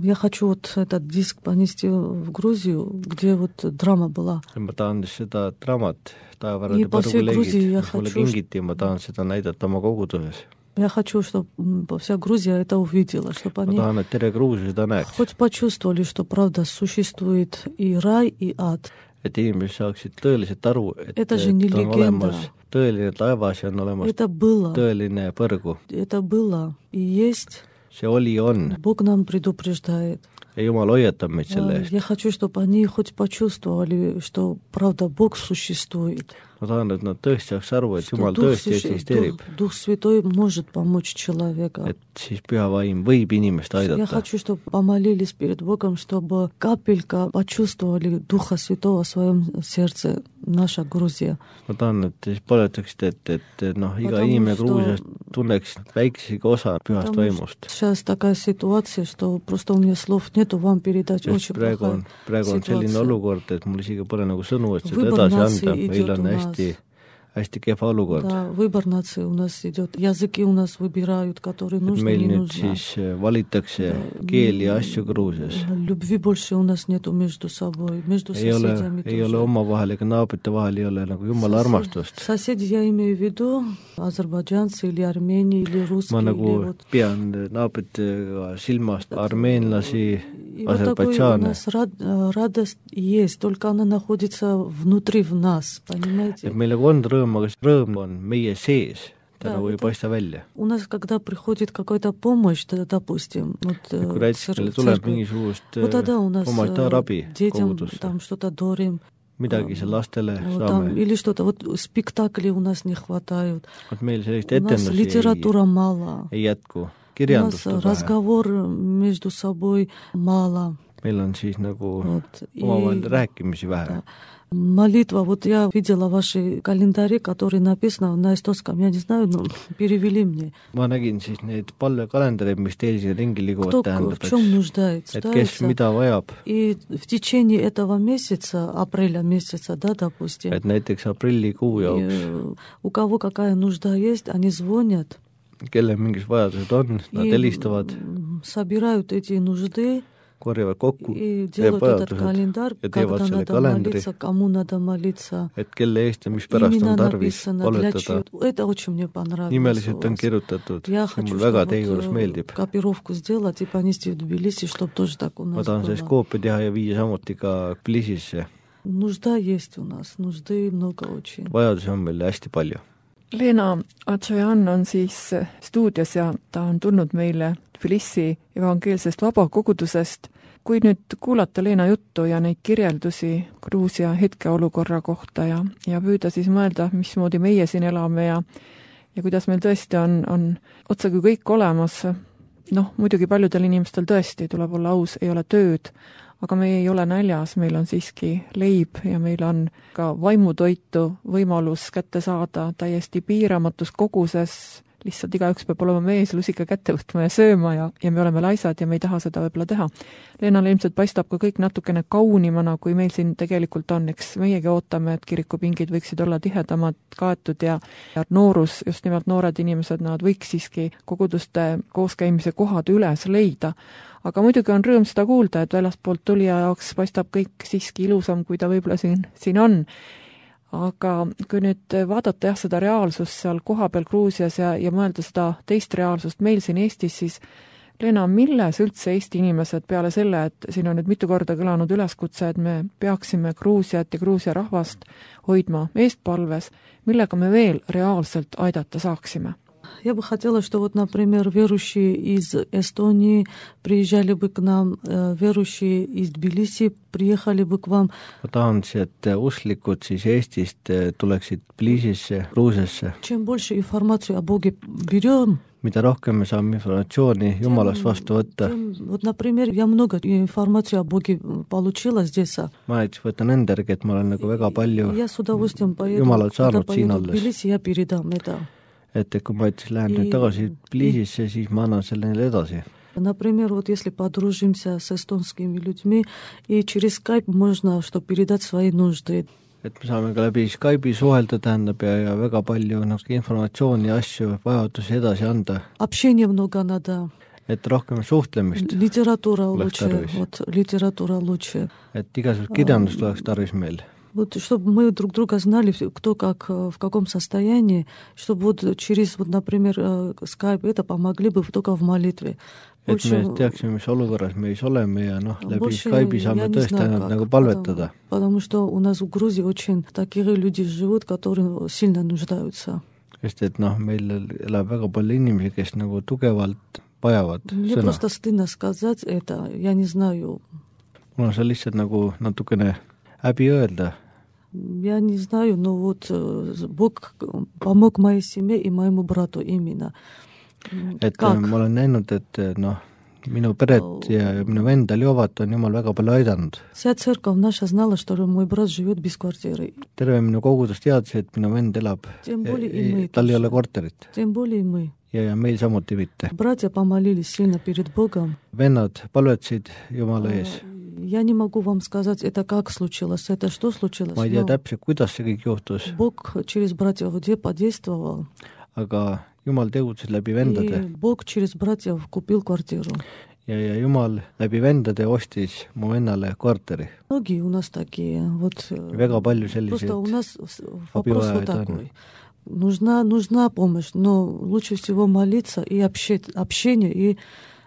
Я хочу вот этот диск понести в Грузию, где вот драма была. Ma tahan seda draamat Taevarade põrguleegid, mis mulle kingiti, ma tahan seda näidata oma koguduses. Я хочу, чтобы вся Грузия это увидела, чтобы они tahan, et terve Gruusia seda näeks. хоть почувствовали, что правда существует и рай, и ад. Et inimesed saaksid tõeliselt aru, et, это же et не on легенда. olemas tõeline taevas ja on olemas это было. tõeline põrgu. Это было и есть. See oli on. Бог нам предупреждает. Ja Jumal hoiatab meid selle eest. Я хочу, чтобы они хоть почувствовали, что правда Бог существует. Ma tahan, et nad tõesti saaks aru, et Jumal tõesti eksisteerib. Дух Святой может помочь человеку. Et siis Püha Vaim võib inimest aidata. Я хочу, чтобы помолились перед Богом, чтобы капелька почувствовали Духа Святого в своем сердце, наша Грузия. Ma tahan, et siis paletaksite, et, et noh, iga Потому inimene что... Gruusias tunneks väiksegi osa Pühast Vaimust. Сейчас такая ситуация, что просто у меня слов нету вам передать. Sest Очень praegu плохая on, praegu on selline ситуация. olukord, et mul isegi pole nagu sõnu, et seda Выбор edasi нации anda. Meil идет on у нас. hästi, hästi kehva olukord. Да, выбор нации у нас идет. Языки у нас выбирают, которые нужны, meil не nüüd нужны. siis valitakse keeli ja asju Gruusias. Любви больше у нас нету между собой, между ei ole, соседями ei тоже. ole omavahel ega naabrite vahel ei ole nagu Jumala armastust. Соседи я имею в виду азербайджанцы или Армении или русские. Ma nagu или вот... pean naabritega silmast armeenlasi, И вот такой у Азербайджана. нас рад, радость есть, только она находится внутри в нас, понимаете? Et meil nagu on rõõm, aga see rõõm on meie sees. Ta Да, nagu ei это- paista välja. У нас, когда приходит какая-то помощь, да, допустим, вот, э, Kui в näiteks цер- meile в tuleb церкви, mingisugust вот тогда у нас humanitaarabi э, детям kogudusse, там что-то дарим, midagi seal lastele вот там, saame. или что-то, вот спектаклей у нас не хватает, Et meil sellist у нас etendusi литература мало, ei, ei jätku. у нас Kirjandust on vähe. разговор между собой мало. meil on siis nagu Вот. omavahel И- rääkimisi vähe Да. Молитва, вот я видела ваши календари, которые написаны на эстонском, я не знаю, но перевели мне. ma nägin siis neid palvekalendreid, mis teil siin ringi liiguvad, Кто в tähendab, чем нуждается. et kes mida vajab, И в течение этого месяца, апреля месяца, да, допустим, et näiteks aprillikuu и, jaoks, э, у кого какая нужда есть, они звонят kellel mingis vajadused on, nad и helistavad, м, собирают эти нужды korjavad kokku и teeb делают этот vajadused календарь, ja teevad когда selle надо kalendri, молиться, кому надо молиться. et kelle eest ja mispärast Именно on tarvis написано, для palvetada. чего. Это очень мне понравилось. Nimeliselt у on вас. kirjutatud, Я see хочу, mul väga чтобы teie juures вот, э, meeldib. копировку сделать и понести в Тбилиси, чтобы тоже так у ma нас tahan sellest было. koopia teha ja viia samuti ka Tbilisisse. Нужда есть у нас, нужды много очень. vajadusi on meil hästi palju. Leena Atšajan on siis stuudios ja ta on tulnud meile Tbilisi evangeelsest vabakogudusest. Kui nüüd kuulata Leena juttu ja neid kirjeldusi Gruusia hetkeolukorra kohta ja, ja püüda siis mõelda, mismoodi meie siin elame ja, ja kuidas meil tõesti on, on otsaga kõik olemas, noh, muidugi paljudel inimestel tõesti, tuleb olla aus, ei ole tööd, aga me ei ole näljas, meil on siiski leib ja meil on ka vaimutoitu võimalus kätte saada täiesti piiramatus koguses, lihtsalt igaüks peab olema mees, lusika kätte võtma ja sööma ja, ja me oleme laisad ja me ei taha seda võib-olla teha. Leenale ilmselt paistab ka kõik natukene kaunimana, kui meil siin tegelikult on, eks meiegi ootame, et kirikupingid võiksid olla tihedamad kaetud ja, ja noorus, just nimelt noored inimesed, nad võiks siiski koguduste kooskäimise kohad üles leida. Aga muidugi on rõõm seda kuulda, et väljastpoolt tulija jaoks paistab kõik siiski ilusam, kui ta võib-olla siin, siin on. Aga kui nüüd vaadata jah, seda reaalsust seal kohapeal Gruusias ja, ja mõelda seda teist reaalsust meil siin Eestis, siis Leena, milles üldse Eesti inimesed peale selle, et siin on nüüd mitu korda kõlanud üleskutse, et me peaksime Gruusiat ja Gruusia rahvast hoidma eestpalves, millega me veel reaalselt aidata saaksime? Я бы хотела, что вот, например, верующие из Эстонии приезжали бы к нам, верующие из Тбилиси приехали бы к вам. ma tahan, et usklikud siis Eestist tuleksid Tbilisisse, Gruusiasse. Чем больше информацию о Боге берем, mida rohkem me saame informatsiooni Jumalast vastu võtta. тем, вот, например, я много информации о Боге получила здесь. ma näiteks võtan enda järgi, et ma olen nagu väga palju Я с удовольствием поеду, Jumalat когда saanud siin поеду в olles. Тбилиси, я передам это. Et kui ma ütlesin, lähen nüüd tagasi Tbilisisse, siis ma annan selle neile edasi. Например, вот если подружимся с эстонскими людьми, и через скайп можно, чтобы передать свои нужды. Et me saame ka läbi Skype'i suhelda, tähendab, ja, ja väga palju nagu informatsiooni ja asju, vajadusi edasi anda. Общения много надо. Et rohkem suhtlemist. Литература лучше. Вот, литература лучше. Et igasugust kirjandust oleks tarvis meil. Вот, чтобы мы друг друга знали, кто как, в каком состоянии, чтобы вот через, вот, например, Skype это помогли бы только в молитве. Et me teaksime, mis olukorras meis oleme ja noh, läbi Skype'i saame tõesti ainult nagu palvetada. Потому что у нас в Грузии очень такие люди живут, которые сильно нуждаются. Sest et noh, meil elab väga palju inimesi, kes nagu tugevalt vajavad Мне sõna. просто стыдно сказать это, я не знаю. Mul on see lihtsalt nagu natukene häbi öelda. Я не знаю, но вот Бог помог моей семье и моему брату именно. Et Как? ma olen näinud, et noh, minu peret ja, ja minu vendal Jovat on Jumal väga palju aidanud. Вся церковь наша знала, что мой брат живет без квартиры. Terve minu kogudus teadis, et minu vend elab, Тем более и мы. tal ei ole korterit Тем более и мы. ja, ja meil samuti mitte. Братья помолились сильно перед Богом. Vennad palvetasid Jumala ees. Я не могу вам сказать, это как случилось, это что случилось. Ma ei tea но täpselt, kuidas see kõik juhtus, Бог через братьев где подействовал. aga Jumal tegutses läbi И vendade Бог через братьев купил квартиру. ja, ja Jumal läbi vendade ostis mu vennale korteri. Многие у нас такие. Вот, Väga palju просто у selliseid нас вопрос вот abivajajaid on. такой. Нужна, нужна помощь, но лучше всего молиться и общение, общение и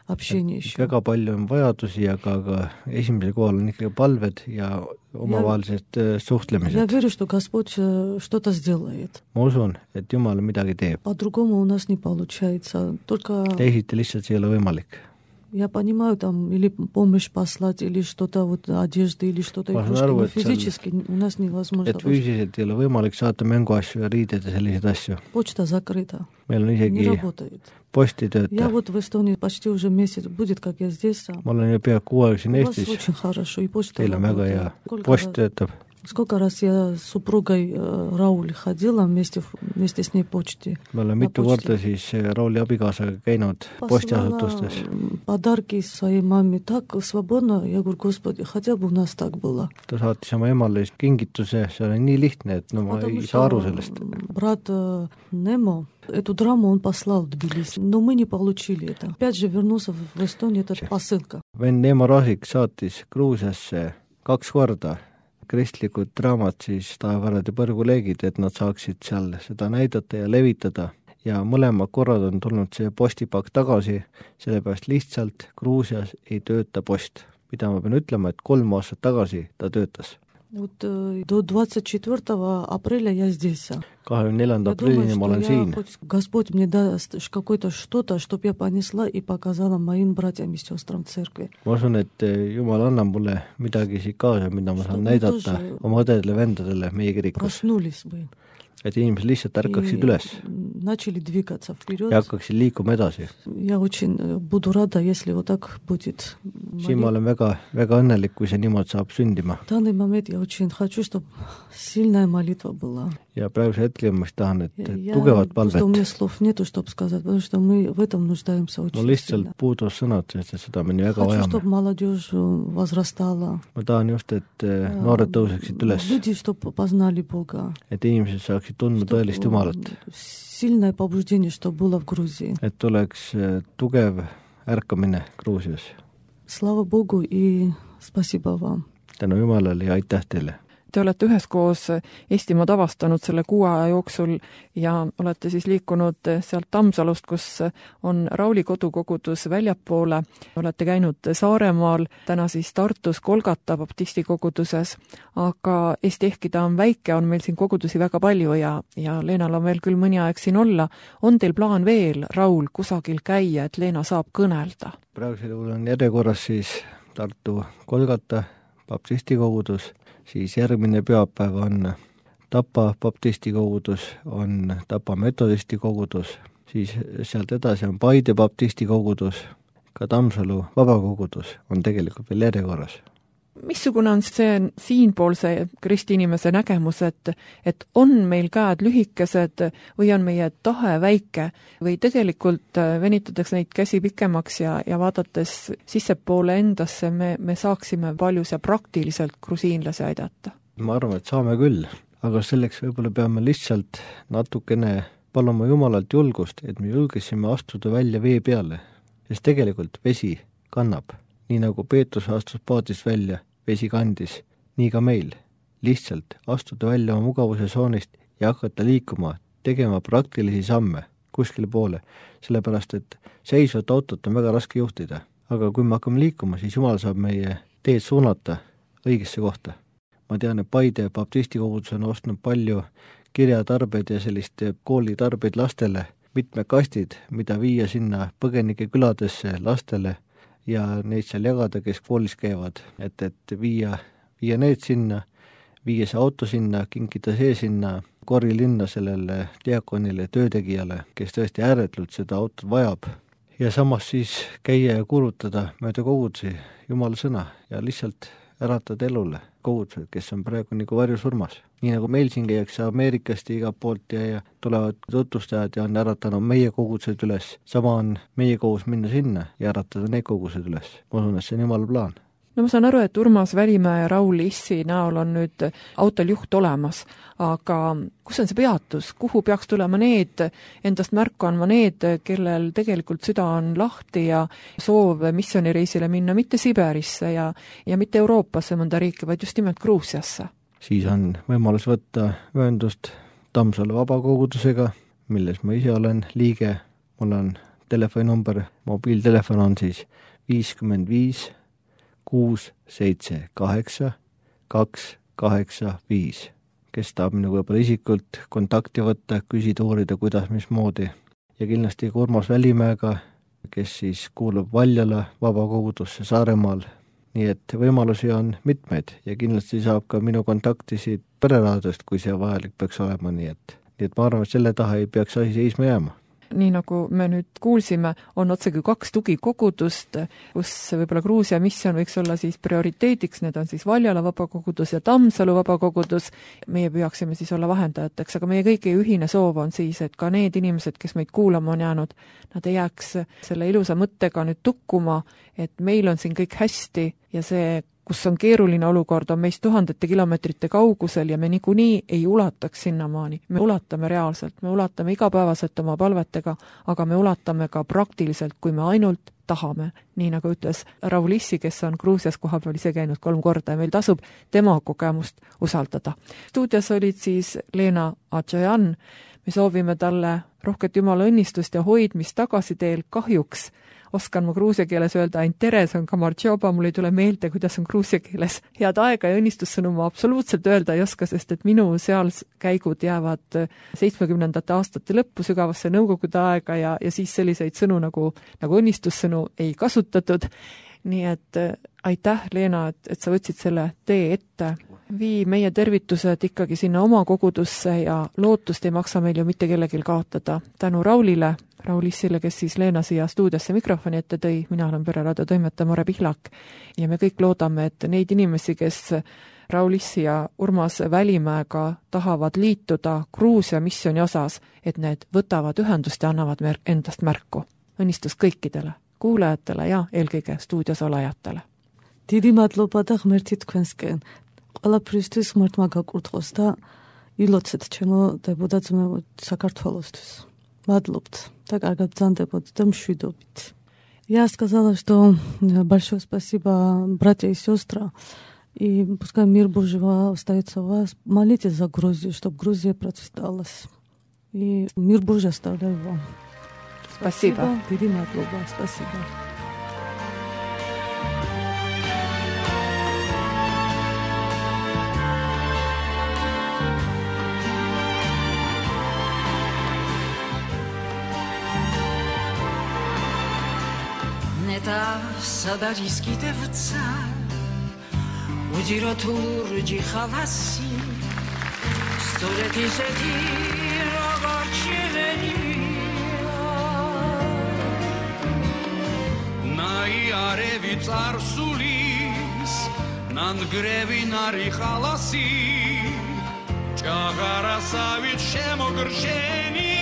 общение еще. Väga palju on vajadusi, aga, aga esimesel kohal on ikkagi palved ja omavahelised Я suhtlemised. верю, что Господь э, что-то сделает. Ma usun, et Jumal midagi teeb. По-другому у нас не получается. Только Teisiti lihtsalt see ei ole võimalik. Я понимаю, там, или помощь послать, или что-то, вот, одежды, или что-то Ma saan игрушки, aru, но et seal- физически у нас невозможно. et füüsiliselt ei ole võimalik saata mänguasju ja riided ja selliseid asju. Почта закрыта, Meil on не isegi работает. post ei Я tööta. вот в Эстонии почти уже месяц будет, как я здесь. а Ma olen ju peaaegu kuu aega siin У вас Eestis. очень хорошо, и почта Teil on väga hea. работает. Сколько Post раз- töötab. Сколько раз я с супругой э, Рауль ходила вместе, в- вместе с ней в почте. Me oleme Na mitu posti. korda siis Rauli abikaasaga käinud postiasutustes. Послала подарки своей маме так свободно. Я говорю, Господи, хотя бы у нас так было. Ta saatis oma emale siis kingituse, see oli nii lihtne, et no ma Потому ei saa aru что sellest. брат э, Немо, эту драму он послал в Тбилиси, но мы не получили это. Опять же вернулся в в Эстонию, это посылка. vend Neemo Rasik saatis Gruusiasse kaks korda kristlikud draamad siis Taevarad ja põrguleegid, et nad saaksid seal seda näidata ja levitada. Ja mõlemad korrad on tulnud see postipakk tagasi, sellepärast lihtsalt Gruusias ei tööta post. Mida ma pean ütlema, et kolm aastat tagasi ta töötas. Вот э, до двадцать четвёртого апреля я здесь. kahekümne neljanda Я думаю, aprillini ma olen что я, siin. хоть Господь мне даст ш- какое-то что-то, чтобы я понесла и показала моим братьям и сестрам в церкви. Ma usun, et Jumal annab mulle midagi siit kaasa, mida ma saan Что näidata мы тоже oma õdedele, vendadele meie kirikus. Проснулись бы. Et inimesed lihtsalt ärkaksid И üles начали двигаться вперед. ja hakkaksid liikuma edasi. Я очень э, буду рада, если вот так будет. Siin ma olen väga, väga õnnelik, kui see niimoodi saab sündima. В данный момент я очень хочу, чтобы сильная молитва была. Ja praeguse hetkel ma tahan, et Я, я- tugevat просто у меня palvet. слов нету, чтобы сказать, потому что мы в этом нуждаемся очень Mul lihtsalt сильно. puudus sõnad, sest et seda me nii väga Хочу, vajame. чтобы молодежь э, возрастала. Ma tahan just, et eh, noored tõuseksid üles, Люди, чтобы познали Бога. et inimesed saaksid tundma Чтоб, tõelist э, Jumalat, Сильное побуждение, что было в Грузии. et oleks eh, tugev ärkamine Gruusias. Слава Богу и спасибо вам. Tänu Jumalale ja aitäh teile! Te olete üheskoos Eestimaad avastanud selle kuu aja jooksul ja olete siis liikunud sealt Tammsalust, kus on Rauli kodukogudus väljapoole. Olete käinud Saaremaal, täna siis Tartus Kolgata baptisti koguduses, aga Eesti ehkki ta on väike, on meil siin kogudusi väga palju ja, ja Leenal on veel küll mõni aeg siin olla. On teil plaan veel, Raul, kusagil käia, et Leena saab kõnelda? Praegusel juhul on järjekorras siis Tartu Kolgata baptisti kogudus, siis järgmine pühapäev on Tapa baptisti kogudus, on Tapa metodisti kogudus, siis sealt edasi on Paide baptisti kogudus, ka Tammsalu vabakogudus on tegelikult veel järjekorras. Missugune on see siinpoolse kristiinimese nägemus, et, et on meil käed lühikesed või on meie tahe väike või tegelikult venitades neid käsi pikemaks ja, ja vaadates sissepoole endasse me, me saaksime paljus ja praktiliselt grusiinlasi aidata? Ma arvan, et saame küll, aga selleks võib-olla peame lihtsalt natukene paluma Jumalalt julgust, et me julgesime astuda välja vee peale, sest tegelikult vesi kannab. Nii nagu Peetrus astus paadist välja, vesi kandis, nii ka meil. Lihtsalt astuda välja oma mugavuse soonist ja hakata liikuma, tegema praktilisi samme kuskile poole, sellepärast et seisvat autot on väga raske juhtida. Aga kui me hakkame liikuma, siis Jumal saab meie teed suunata õigesse kohta. Ma tean, et Paide baptisti kogudus on ostnud palju kirjatarbeid ja sellist koolitarbeid lastele, mitme kastid, mida viia sinna põgenike küladesse lastele ja neid seal jagada, kes koolis käivad, et, et viia, viia need sinna, viia see auto sinna, kinkida see sinna korilinna sellele diakonile, töötegijale, kes tõesti ääretult seda autot vajab. Ja samas siis käia ja kuulutada mööda kogudusi Jumala sõna ja lihtsalt äratada elule kogudused, kes on praegu nagu varjusurmas. Nii nagu meil siin käiakse Ameerikast ja igalt poolt ja, ja tulevad tutvustajad ja on äratanud meie kogudused üles. Sama on meie kohus minna sinna ja äratada need kogudused üles. Ma usun, et see on Jumala plaan. No ma saan aru, et Urmas Välimäe ja Raul Issi näol on nüüd autol juht olemas, aga kus on see peatus? Kuhu peaks tulema need, endast märku andma need, kellel tegelikult süda on lahti ja soov missioonireisile minna mitte Siberisse ja, ja mitte Euroopasse mõnda riiki, vaid just nimelt Gruusiasse? Siis on võimalus võtta ühendust Tammsalu vabakogudusega, milles ma ise olen liige. Mul on telefoninumber, mobiiltelefon on siis viiskümmend viis kuus seitse kaheksa kaks kaheksa viis. Kes tahab minuga võib-olla isikult kontakti võtta, küsida, uurida, kuidas, mismoodi. Ja kindlasti ka Urmas Välimäega kes siis kuulub Valjala vabakogudusse Saaremaal. Nii et võimalusi on mitmeid ja kindlasti saab ka minu kontaktisid pereraadiost, kui see vajalik peaks olema, nii et, nii et ma arvan, et selle taha ei peaks asi seisma jääma. Nii nagu me nüüd kuulsime, on otsegi kaks tugikogudust, kus võib-olla Gruusia missioon võiks olla siis prioriteediks, need on siis Valjala vabakogudus ja Tammsalu vabakogudus. Meie püüaksime siis olla vahendajateks, aga meie kõigi ühine soov on siis, et ka need inimesed, kes meid kuulama on jäänud, nad ei jääks selle ilusa mõttega nüüd tukkuma, et meil on siin kõik hästi ja see, kus on keeruline olukord, on meist tuhandete kilomeetrite kaugusel ja me niikuinii ei ulataks sinnamaani. Me ulatame reaalselt, me ulatame igapäevaselt oma palvetega, aga me ulatame ka praktiliselt, kui me ainult tahame. Nii nagu ütles Raul Issi, kes on Gruusias kohapeal ise käinud kolm korda ja meil tasub tema kogemust usaldada. Stuudios olid siis Leena Adžajan. Me soovime talle rohket jumala õnnistust ja hoidmist tagasi teel. Kahjuks oskan ma gruusia keeles öelda ainult tere, see on kamartšoba, mul ei tule meelde, kuidas on gruusia keeles head aega ja õnnistussõnu ma absoluutselt öelda ei oska, sest et minu seal käigud jäävad seitsmekümnendate aastate lõppu sügavasse nõukogude aega ja, ja siis selliseid sõnu nagu, nagu õnnistussõnu ei kasutatud. Nii et aitäh, Leena, et, et sa võtsid selle tee ette. Vii meie tervitused ikkagi sinna oma kogudusse ja lootust ei maksa meil ju mitte kellegil kaotada. Tänu Raulile, Raul Issile, kes siis Leena siia stuudiosse mikrofoni ette tõi, mina olen Pereraadio toimetaja Mare Pihlak ja me kõik loodame, et neid inimesi, kes Raul Issi ja Urmas Välimäega tahavad liituda Gruusia missiooni osas, et need võtavad ühendust ja annavad mer- endast märku. Õnnistus kõikidele, kuulajatele ja eelkõige stuudios olejatele. დიდი მადლობა და ღმერთი თქვენსკენ. ყველაფრისთვის ღმერთმა გაკურთხოს და ილოცეთ ჩემო დებოდა ძმებო საქართველოსთვის. Мадლობთ და კარგად ბრძანდებოდ და მშვიდობით. Я сказала, что большое спасибо, братья и сестры. И пускай мир Божий остается у вас. Молитесь за Грузию, чтобы Грузия процветала. И мир Божий оставляю вам. Спасибо. Დიდი მადლობა. Спасибо. სადარისკი დევცა უძირო თურჯი ხალასი სწორედ ისეთი როგორც შევენია ნაიარევი წარსულის ნანგრევი ნარი ხალასი ჭაღარასავით შემოგრჩენია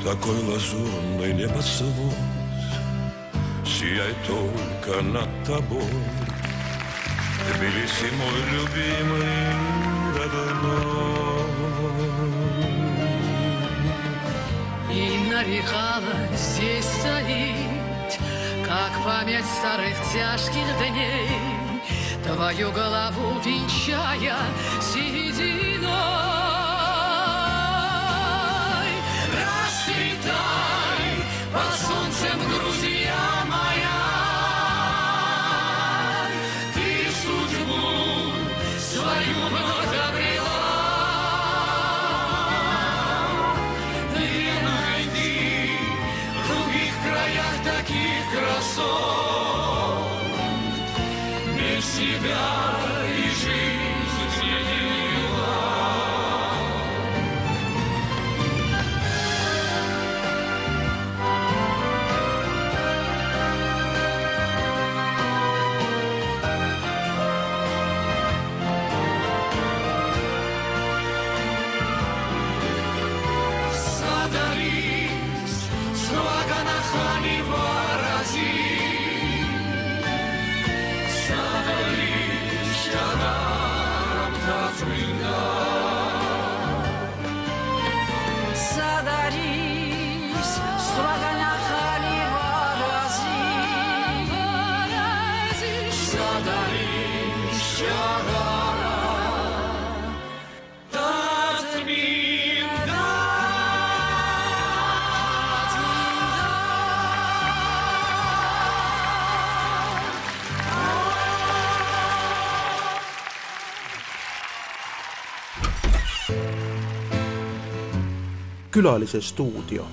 Такой лазурный небосвод сияет только над тобой. Тбилиси, мой любимый родной. И нарекала здесь стоит, как память старых тяжких дней, твою голову венчая сединой. Под солнцем, Грузия моя, ты судьбу свою вновь обрела. Ты найди в других краях таких красот, без себя и жизнь изменила. Külalise stuudio.